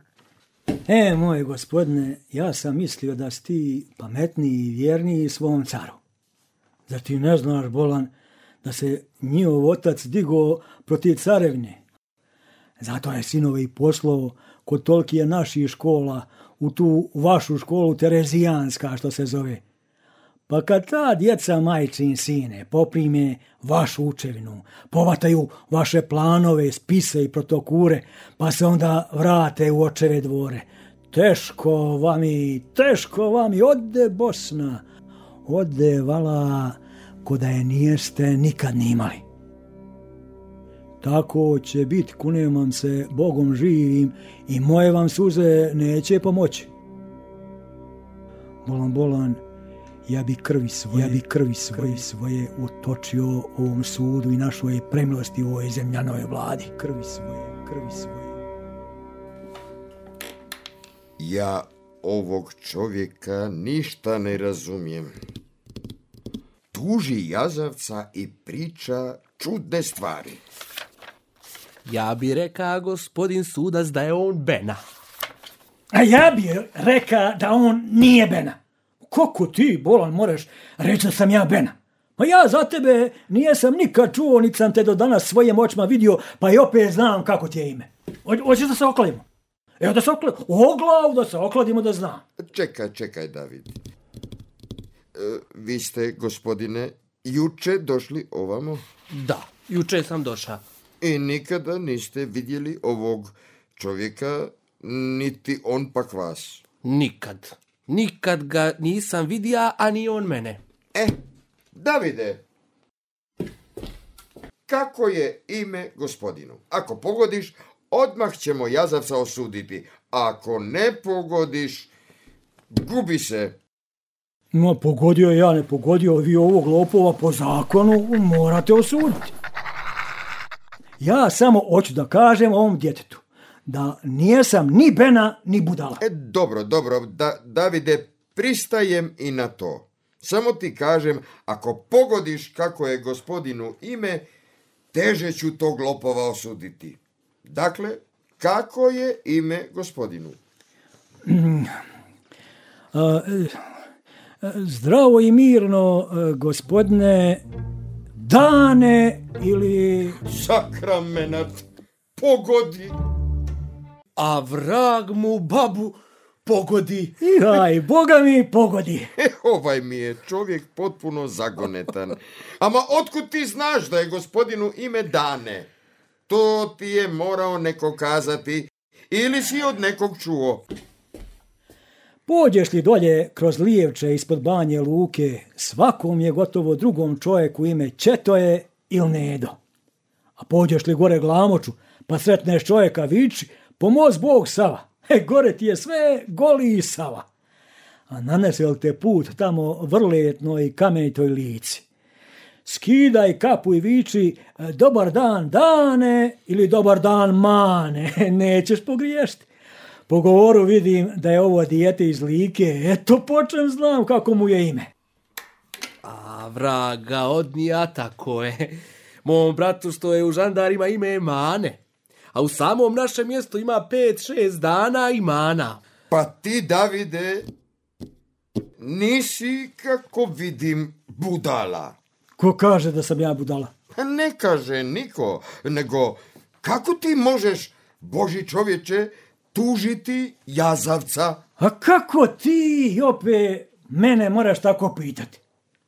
Speaker 5: E, moj gospodine, ja sam mislio da si ti pametniji i vjerniji svom caru. Zar ti ne znaš, bolan, da se njihov otac digao protiv carevne? Zato je sinove i poslao kod tolkije naših škola u tu vašu školu Terezijanska što se zove. Pa kad ta djeca, majčin sine, poprime vašu učevinu, povataju vaše planove, spise i protokure, pa se onda vrate u očeve dvore, teško vami, teško vami, ode Bosna, ode vala, ko da je nijeste nikad ni imali. Tako će biti, kunem vam se Bogom živim, i moje vam suze neće pomoći. Bolan, bolan, ja bi krvi svoje, ja bi krvi svoje, svoje utočio ovom sudu i našoj premilosti u ovoj zemljanoj vladi. Krvi svoje, krvi svoje.
Speaker 6: Ja ovog čovjeka ništa ne razumijem. Tuži jazavca i priča čudne stvari.
Speaker 8: Ja bi reka, gospodin sudac, da je on Bena.
Speaker 5: A ja bi reka da on nije Bena. Kako ti, bolan, moraš reći da sam ja Bena? Pa ja za tebe nijesam nikad čuo, niti sam te do danas svojim očima vidio, pa i opet znam kako ti je ime. Hoćeš da se okladimo? Evo da se okladimo. O glavu da se okladimo da znam.
Speaker 6: Čekaj, čekaj, David. E, vi ste, gospodine, juče došli ovamo?
Speaker 8: Da, juče sam došao.
Speaker 6: I nikada niste vidjeli ovog čovjeka, niti on pak vas?
Speaker 8: Nikad. Nikad ga nisam vidio, a ni on mene.
Speaker 6: E, Davide, kako je ime gospodinu? Ako pogodiš, odmah ćemo jazavca osuditi. Ako ne pogodiš, gubi se.
Speaker 5: No, pogodio ja, ne pogodio, vi ovog lopova po zakonu morate osuditi. Ja samo hoću da kažem ovom djetetu da nijesam ni Bena, ni budala.
Speaker 6: E, dobro, dobro, da, Davide, pristajem i na to. Samo ti kažem, ako pogodiš kako je gospodinu ime, teže ću tog lopova osuditi. Dakle, kako je ime gospodinu?
Speaker 5: Mm. A, zdravo i mirno, gospodine Dane ili...
Speaker 6: Sakramenat, pogodi.
Speaker 8: A vrag mu babu pogodi.
Speaker 5: Jaj, Boga mi pogodi.
Speaker 6: E, ovaj mi je čovjek potpuno zagonetan. Ama otkud ti znaš da je gospodinu ime Dane? To ti je morao neko kazati ili si od nekog čuo?
Speaker 5: Pođeš li dolje kroz Lijevče ispod Banje Luke, svakom je gotovo drugom čovjeku ime Četoje ili Nedo. A pođeš li gore Glamoču, pa sretneš čovjeka viči, pomoz Bog Sava. E, gore ti je sve goli Sava. A nanese li te put tamo vrletnoj kamenitoj lici? Skidaj kapu i viči, dobar dan Dane ili dobar dan Mane, nećeš pogriješiti. Po govoru vidim da je ovo dijete iz Like, eto počem znam kako mu je ime.
Speaker 8: A vraga odnija, tako je. Mom bratu što je u žandarima ime je Mane, a u samom našem mjestu ima pet, šest dana i Mana.
Speaker 6: Pa ti, Davide, nisi, kako vidim, budala.
Speaker 5: Ko kaže da sam ja budala?
Speaker 6: Ne kaže niko, nego kako ti možeš, Boži čovječe, tužiti jazavca?
Speaker 5: A kako ti opet mene moraš tako pitati?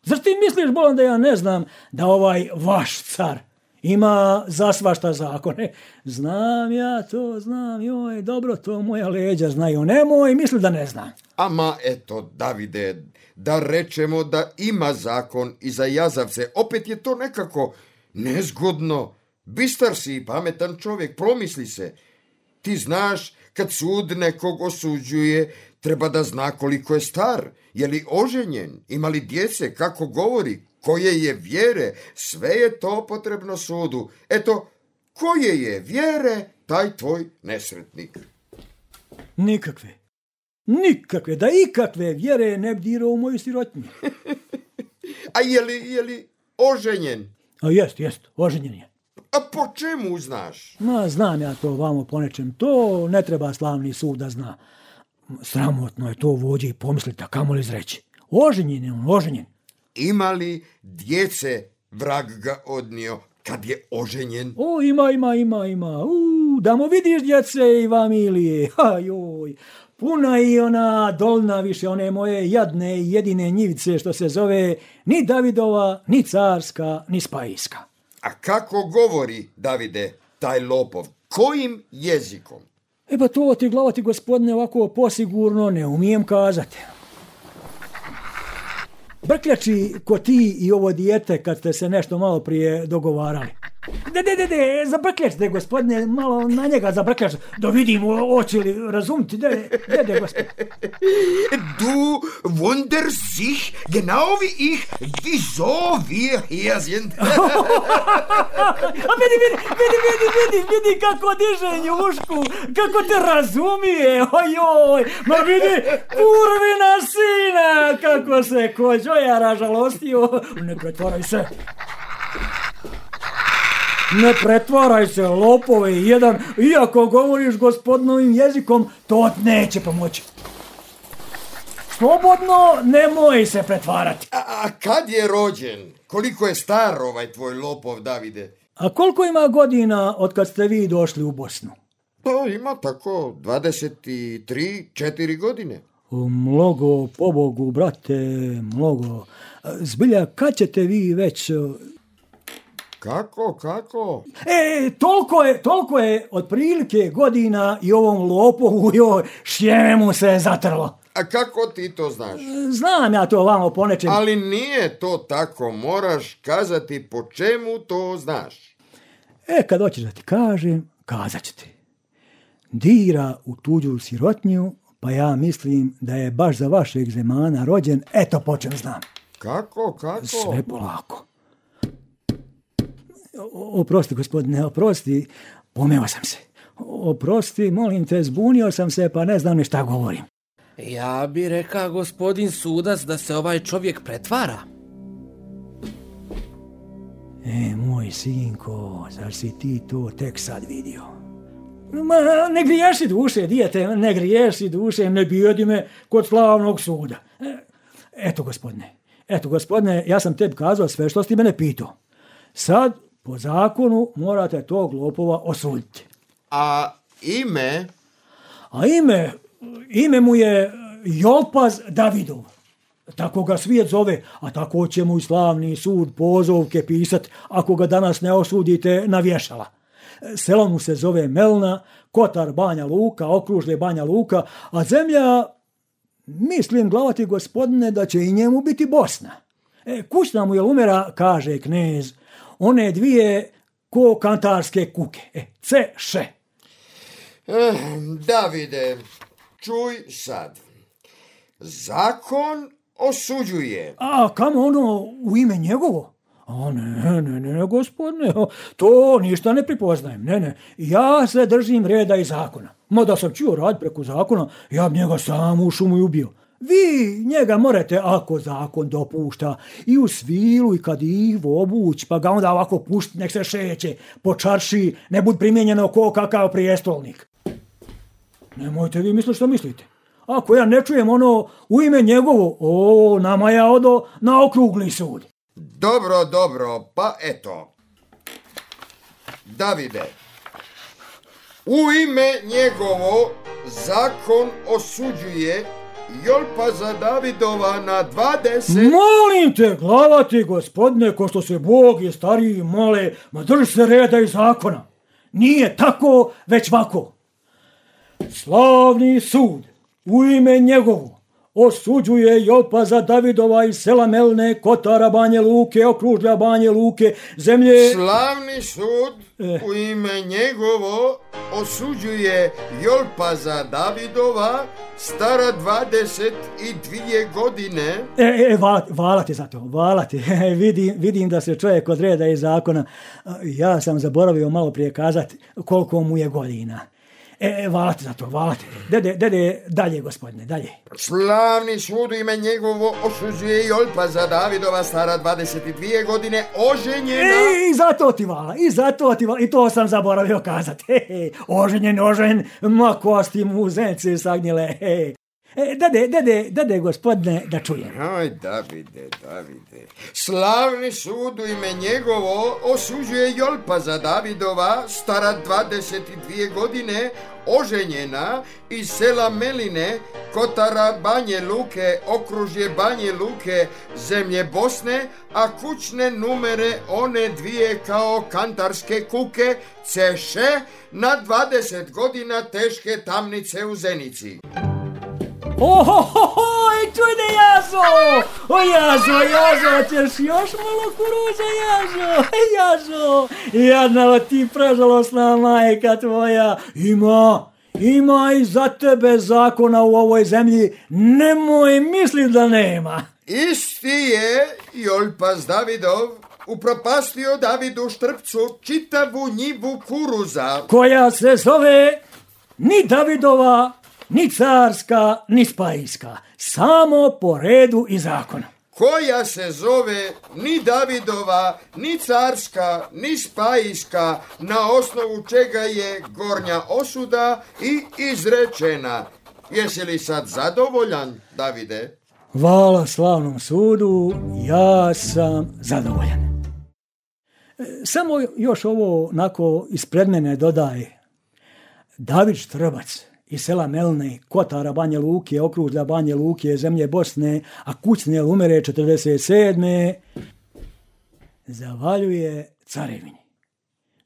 Speaker 5: Zar ti misliš, bolan, da ja ne znam da ovaj vaš car ima za svašta zakone? Znam ja to, znam, joj, dobro, to moja leđa znaju, nemoj misli da ne znam.
Speaker 6: Ama eto, Davide, da rečemo da ima zakon i za jazavce, opet je to nekako nezgodno. Bistar si i pametan čovjek, promisli se. Ti znaš, kad sud nekog osuđuje, treba da zna koliko je star, je li oženjen, ima li djece, kako govori, koje je vjere, sve je to potrebno sudu. Eto, koje je vjere, taj tvoj nesretnik.
Speaker 5: Nikakve, nikakve, da ikakve vjere ne bi dirao u moju sirotnju.
Speaker 6: A je li, je li oženjen?
Speaker 5: A jest, jest, oženjen je.
Speaker 6: A po čemu znaš?
Speaker 5: Ma, znam ja to vamo po nečem, to ne treba slavni sud da zna. Sramotno je to vođe i pomisliti, a kamo li izreći. Oženjen je on, oženjen.
Speaker 6: Ima li djece, vrag ga odnio, kad je oženjen?
Speaker 5: O, ima, ima, ima, ima. U, da mu vidiš djece i familije. Ha, joj. Puna i ona dolna više, one moje jadne i jedine njivice što se zove ni Davidova, ni carska, ni spajska.
Speaker 6: A kako govori, Davide, taj lopov? Kojim jezikom?
Speaker 5: E pa to ti, glavati gospodine, ovako posigurno ne umijem kazati. Brkljači ko ti i ovo dijete kad ste se nešto malo prije dogovarali. De, de, de, de, zabrkljačite, gospodine, malo na njega zabrkljač, da vidim oči li razumiti, de, de, de, gospodine.
Speaker 6: Du wunderst sich, genau wie ich, wieso wir hier sind.
Speaker 5: A vidi, vidi, vidi, vidi, vidi, vidi kako diže njušku, kako te razumije, ojoj, ma vidi, kurvina sina, kako se kođojara žalostio, ne pretvaraj se. Ne pretvaraj se, lopove jedan, iako govoriš gospodinovim jezikom, to neće pomoći. Slobodno, nemoj se pretvarati.
Speaker 6: A, a kad je rođen? Koliko je star ovaj tvoj lopov, Davide?
Speaker 5: A koliko ima godina od kad ste vi došli u Bosnu?
Speaker 6: Pa ima tako dvadeset tri, četiri godine.
Speaker 5: Mnogo, pobogu, brate, mnogo. Zbilja, kad ćete vi već...
Speaker 6: Kako, kako?
Speaker 5: E, toliko je, toliko je otprilike godina i ovom lopovu joj šljemu se zatrlo.
Speaker 6: A kako ti to znaš?
Speaker 5: Znam ja to vamo po nečem.
Speaker 6: Ali nije to tako, moraš kazati po čemu to znaš.
Speaker 5: E, kad hoćeš da ti kažem, kazat ću ti. Dira u tuđu sirotnju, pa ja mislim da je baš za vašeg zemana rođen, eto po čem znam.
Speaker 6: Kako, kako?
Speaker 5: Sve polako. Oprosti, gospodine, oprosti, pomeo sam se. Oprosti, molim te, zbunio sam se, pa ne znam ni šta govorim.
Speaker 8: Ja bi rekao, gospodin sudac, da se ovaj čovjek pretvara.
Speaker 5: E, moj sinko, zar si ti to tek sad vidio? Ma, ne griješi duše, dijete, ne griješi duše, ne bijedi me kod slavnog suda. E, eto, gospodine, eto, gospodine, ja sam tebi kazao sve što si mene pitao. Sad, po zakonu, morate tog lopova osuditi.
Speaker 6: A ime?
Speaker 5: A ime, ime mu je Jolpaz Davidov. Tako ga svijet zove, a tako će mu i slavni sud pozovke pisat ako ga danas ne osudite na vješala. Selo mu se zove Melna, Kotar Banja Luka, okružje Banja Luka, a zemlja, mislim, glavati gospodine, da će i njemu biti Bosna. E, kućna mu je umera, kaže knez, one dvije ko kantarske kuke. E, ce, še.
Speaker 6: Eh, Davide, čuj sad. Zakon osuđuje.
Speaker 5: A kamo ono u ime njegovo? A ne, ne, ne, gospodine, to ništa ne pripoznajem. Ne, ne, ja se držim reda i zakona. Ma da sam čuo rad preko zakona, ja bi njega sam u šumu i ubio. Vi njega morate, ako zakon dopušta, i u svilu i kad ih obuć, pa ga onda ovako pušti, nek se šeće, po čarši, ne bud primjenjeno ko kakav prijestolnik. Nemojte vi misliti što mislite. Ako ja ne čujem ono u ime njegovo, o, nama ja odo na okrugli sud.
Speaker 6: Dobro, dobro, pa eto. Davide, u ime njegovo zakon osuđuje Jolpaza Davidova na dvadeset...
Speaker 5: Molim te, glavati, gospodine, ko što se Bog i stariji mole, ma drži se reda i zakona. Nije tako, već vako. Slavni sud, u ime njegovo, osuđuje Jolpaza Davidova iz sela Melne, Kotara Banje Luke, okružja Banje Luke, zemlje...
Speaker 6: Slavni sud,
Speaker 5: eh.
Speaker 6: u ime njegovo, osuđuje Jolpaza Davidova, stara dvadeset dvije godine.
Speaker 5: E, e, vala, vala ti za to, vala ti. vidim, vidim da se čovjek od reda i zakona. Ja sam zaboravio malo prije kazati koliko mu je godina. E, vala ti za to, vala ti. Dede, dede, dalje, gospodine, dalje.
Speaker 6: Slavni sud u ime njegovo osuđuje Jolpaza Davidova, stara dvadeset dvije godine, oženjena...
Speaker 5: E, i zato ti vala, i zato ti vala, i to sam zaboravio kazati. He, he, oženjen, oženjen, ma kosti mu zence sagnjile, he. E, dade, dade, dade, gospodine, da čujem.
Speaker 6: Aj, Davide, Davide. Slavni sud u ime njegovo osuđuje Jolpaza Davidova, stara dvadeset dvije godine, oženjena iz sela Meline, Kotara Banje Luke, okružje Banje Luke, zemlje Bosne, a kućne numere one dvije kao kantarske kuke, ceše na dvadeset godina teške tamnice u Zenici.
Speaker 5: Ohohoho, čujde Jazo! O Jazo, Jazo, ćeš još malo kuruza, Jazo, Jazo! Jadna ti prežalosna majka tvoja, ima, ima i za tebe zakona u ovoj zemlji, nemoj misli da nema.
Speaker 6: Isti je Jolpaz Davidov upropastio Davidu Štrpcu čitavu njivu kuruza,
Speaker 5: koja se zove ni Davidova, ni carska, ni spajska, samo po redu i zakonu.
Speaker 6: koja se zove ni Davidova, ni carska, ni spajska, na osnovu čega je gornja osuda i izrečena. Jesi li sad zadovoljan, Davide?
Speaker 5: Hvala slavnom sudu, ja sam zadovoljan. Samo još ovo nako ispred mene dodaj. David Štrbac iz sela Melne, Kotara Banje Luke, okružja Banje Luke, zemlje Bosne, a kućne umere četrdeset sedme zavaljuje carevini,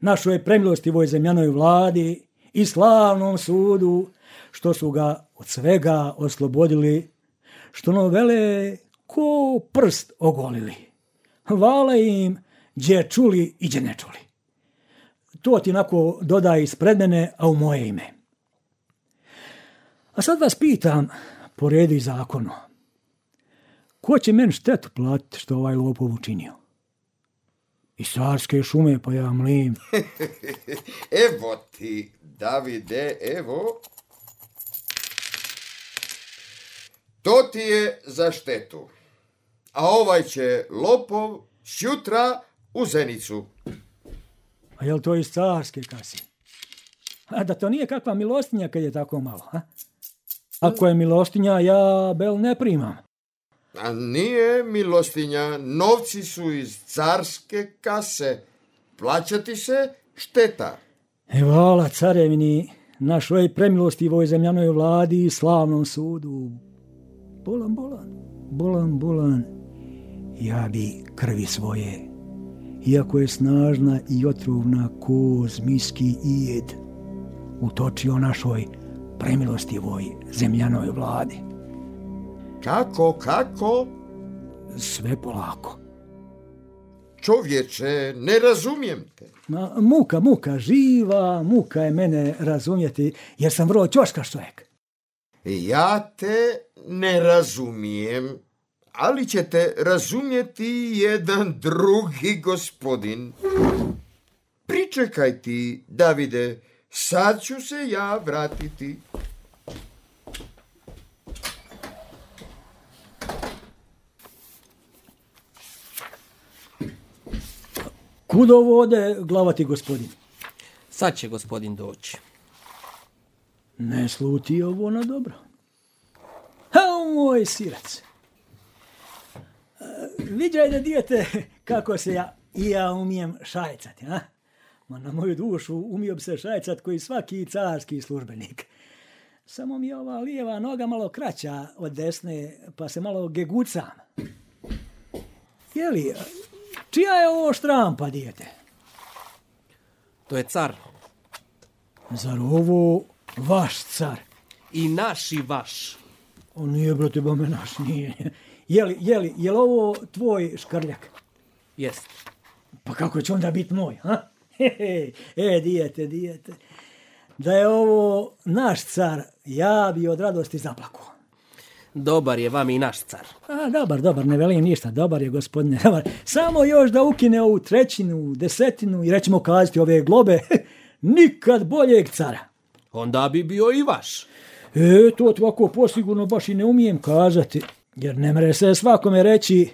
Speaker 5: našoj premilostivoj zemljanoj vladi i slavnom sudu, što su ga od svega oslobodili, što novele ko prst ogolili. Hvala im gdje čuli i gdje ne čuli. To ti nako dodaj ispred mene, a u moje ime. A sad vas pitam, po redu i zakonu, ko će meni štetu platiti što ovaj lopov učinio? Iz carske šume, pa ja mlim.
Speaker 6: Evo ti, Davide, evo. To ti je za štetu. A ovaj će lopov sjutra u Zenicu.
Speaker 5: A je li to iz carske kase? A da to nije kakva milostinja kad je tako malo, a? Ako je milostinja, ja bel ne primam.
Speaker 6: A nije milostinja, novci su iz carske kase. Plaćati se šteta.
Speaker 5: E, hvala carevini, našoj premilostivoj zemljanoj vladi i slavnom sudu. Bolan, bolan, bolan, bolan, ja bi krvi svoje, iako je snažna i otrovna ko zmijski ijed, utočio našoj premilostivoj zemljanoj vladi.
Speaker 6: Kako, kako?
Speaker 5: Sve polako.
Speaker 6: Čovječe, ne razumijem te.
Speaker 5: Ma, muka, muka, živa muka je mene razumjeti, jer sam vrlo ćoškaš čovjek.
Speaker 6: Ja te ne razumijem, ali ćete razumjeti jedan drugi gospodin. Pričekaj ti, Davide, sad ću se ja vratiti.
Speaker 5: Kudo vode glavati gospodin?
Speaker 8: Sad će gospodin doći.
Speaker 5: Ne sluti ovo na dobro. Ha, moj sirac. Viđaj da dijete kako se ja, i ja umijem šajcati, a? Ma na moju dušu umio bi se šajcat koji svaki carski službenik. Samo mi je ova lijeva noga malo kraća od desne, pa se malo gegucam. Jeli, čija je ovo štrampa, dijete?
Speaker 8: To je car.
Speaker 5: Zar ovo vaš car?
Speaker 8: I naš i vaš.
Speaker 5: O, nije, brate, bome naš, nije. Jeli, jeli, je li ovo tvoj škrljak?
Speaker 8: Jest.
Speaker 5: Pa kako će onda biti moj, ha? Hehe, e, dijete, dijete. Da je ovo naš car, ja bi od radosti zaplakao.
Speaker 8: Dobar je vam i naš car.
Speaker 5: A, dobar, dobar, ne velim ništa, dobar je, gospodine, dobar. Samo još da ukine ovu trećinu, desetinu i rećemo kazati ove globe, nikad boljeg cara.
Speaker 8: Onda bi bio i vaš.
Speaker 5: E, to ovako posigurno baš i ne umijem kazati, jer ne mere se svakome reći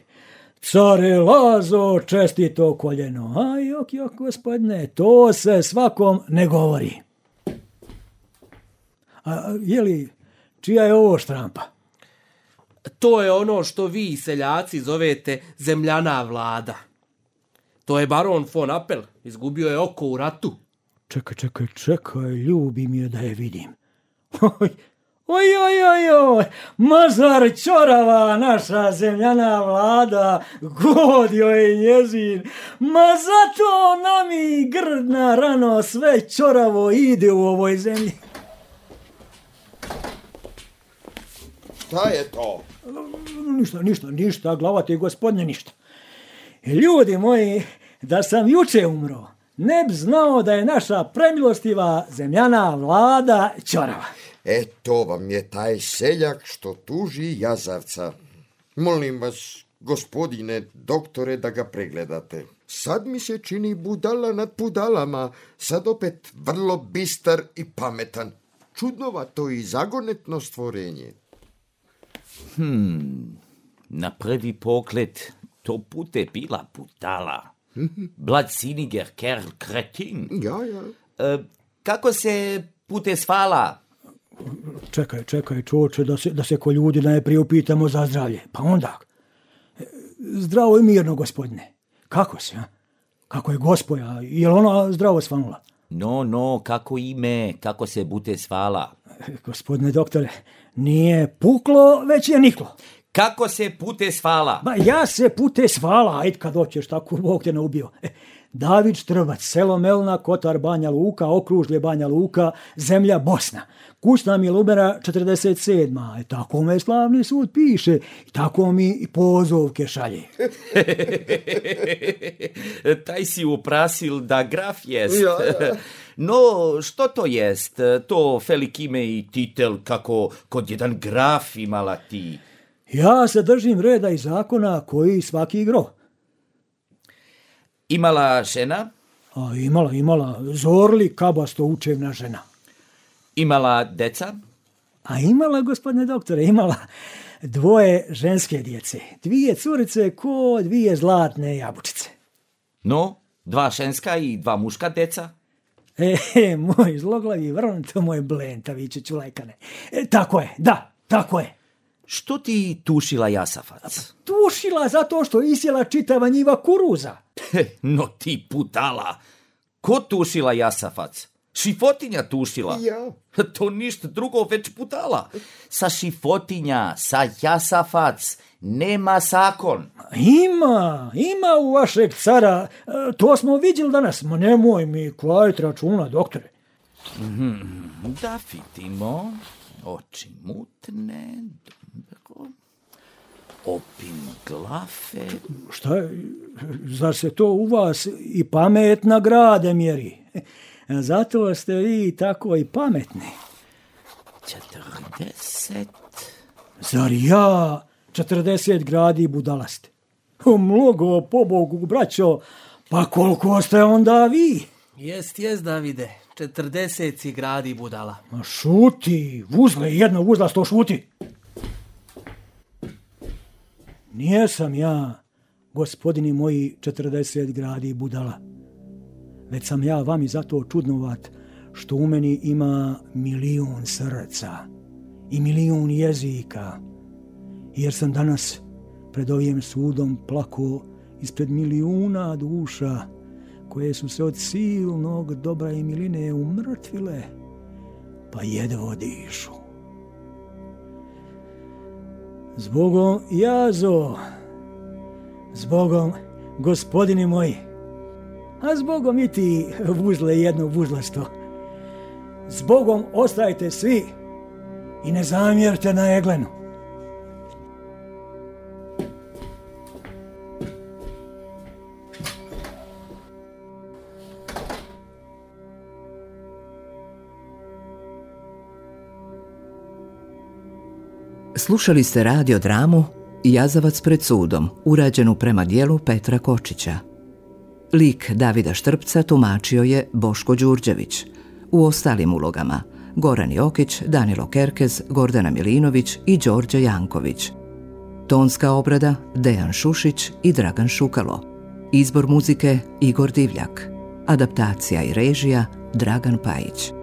Speaker 5: care Lazo, čestito koljeno. A jok, jok, gospodine, to se svakom ne govori. A je li, čija je ovo štrampa?
Speaker 8: To je ono što vi, seljaci, zovete zemljana vlada. To je baron von Apel, izgubio je oko u ratu.
Speaker 5: Čekaj, čekaj, čekaj, ljubi mi je da je vidim. Oj, oj, oj, oj, oj, Mazar Ćorava, naša zemljana vlada, god joj je njezin. Ma zato nami grdna rano sve ćoravo ide u ovoj zemlji.
Speaker 6: Šta je to?
Speaker 5: Ništa, ništa, ništa, glavati gospodine, ništa. Ljudi moji, da sam juče umro, ne bi znao da je naša premilostiva zemljana vlada ćorava.
Speaker 6: E, to vam je taj seljak što tuži jazavca. Molim vas, gospodine doktore, da ga pregledate. Sad mi se čini budala nad budalama, sad opet vrlo bistar i pametan. Čudnovato i zagonetno stvorenje.
Speaker 9: Hmm, na prvi pogled to bude bila budala. Bladsinniger Kerl, kretin.
Speaker 6: Ja, ja.
Speaker 9: E, kako se bude svala?
Speaker 5: Čekaj, čekaj, čoče, da se, da se ko ljudi najprije upitamo za zdravlje. Pa onda, zdravo i mirno, gospodine. Kako se, a? Kako je gospoja? Je li ona zdravo svanula?
Speaker 9: No, no, kako ime, kako se bude svala?
Speaker 5: Gospodine doktore, nije puklo, već je niklo.
Speaker 9: Kako se bude svala?
Speaker 5: Ba, ja se pute svala, ajde kad hoćeš, tako Bog te ne ubio. E, David Štrbac, selo Melna, Kotar Banja Luka, okružlje Banja Luka, zemlja Bosna. Kućna mi Lumera četrdeset sedma. E, tako me slavni sud piše i tako mi i pozovke šalje.
Speaker 9: Taj si uprasil da graf jest.
Speaker 6: Ja, ja.
Speaker 9: No, što to jest? To velik ime i titel kako kod jedan graf imala ti.
Speaker 5: Ja se držim reda i zakona koji svaki gro.
Speaker 9: Imala žena?
Speaker 5: A imala, imala, zorli kabasto učevna žena.
Speaker 9: Imala deca?
Speaker 5: A imala, gospodine doktore, imala dvoje ženske djece. Dvije curice ko dvije zlatne jabučice.
Speaker 9: No, dva ženska i dva muška deca?
Speaker 5: E, e moj zloglavi vrn, to moj blentaviće čulajkane. E, tako je, da, tako je.
Speaker 9: Što ti tušila jasafac?
Speaker 5: Tušila zato što isjela čitava njiva kuruza.
Speaker 9: No ti putala. Ko tušila jasafac? Šifotinja tušila.
Speaker 6: Ja.
Speaker 9: To ništa drugo već putala. Sa šifotinja, sa jasafac, nema zakon.
Speaker 5: Ima, ima u vašeg cara. E, to smo vidjeli danas. Ma nemoj mi kvajt računa, doktore.
Speaker 9: Hmm, da vidimo. Oči mutne, dobro. Opin glafe.
Speaker 5: Šta je? Zar se to u vas i pametna grade mjeri? Zato ste vi tako i pametni.
Speaker 9: Četrdeset.
Speaker 5: Zar ja četrdeset gradi budalaste? Mnogo, pobogu, braćo, pa koliko ste onda vi?
Speaker 8: Jest, jest, Davide, četrdeset si gradi budala.
Speaker 5: Ma šuti, vuzle, jedno vuzlasto šuti. Nijesam ja, gospodini moji, četrdeset gradi budala. Već sam ja vami zato čudnovat što u meni ima milijun srca i milijun jezika. Jer sam danas pred ovim sudom plako ispred milijuna duša koje su se od silnog dobra i miline umrtvile, pa jedvo dišu. Zbogom jazo, zbogom gospodini moji, a zbogom i ti vuzle jedno vuzlasto. Zbogom ostajte svi i ne zamjerite na Eglenu.
Speaker 2: Slušali ste radio dramu Jazavac pred sudom, urađenu prema dijelu Petra Kočića. Lik Davida Štrbca tumačio je Boško Đurđević. U ostalim ulogama Goran Jokić, Danilo Kerkez, Gordana Milinović i Đorđe Janković. Tonska obrada Dejan Šušić i Dragan Šukalo. Izbor muzike Igor Divljak. Adaptacija i režija Dragan Pajić.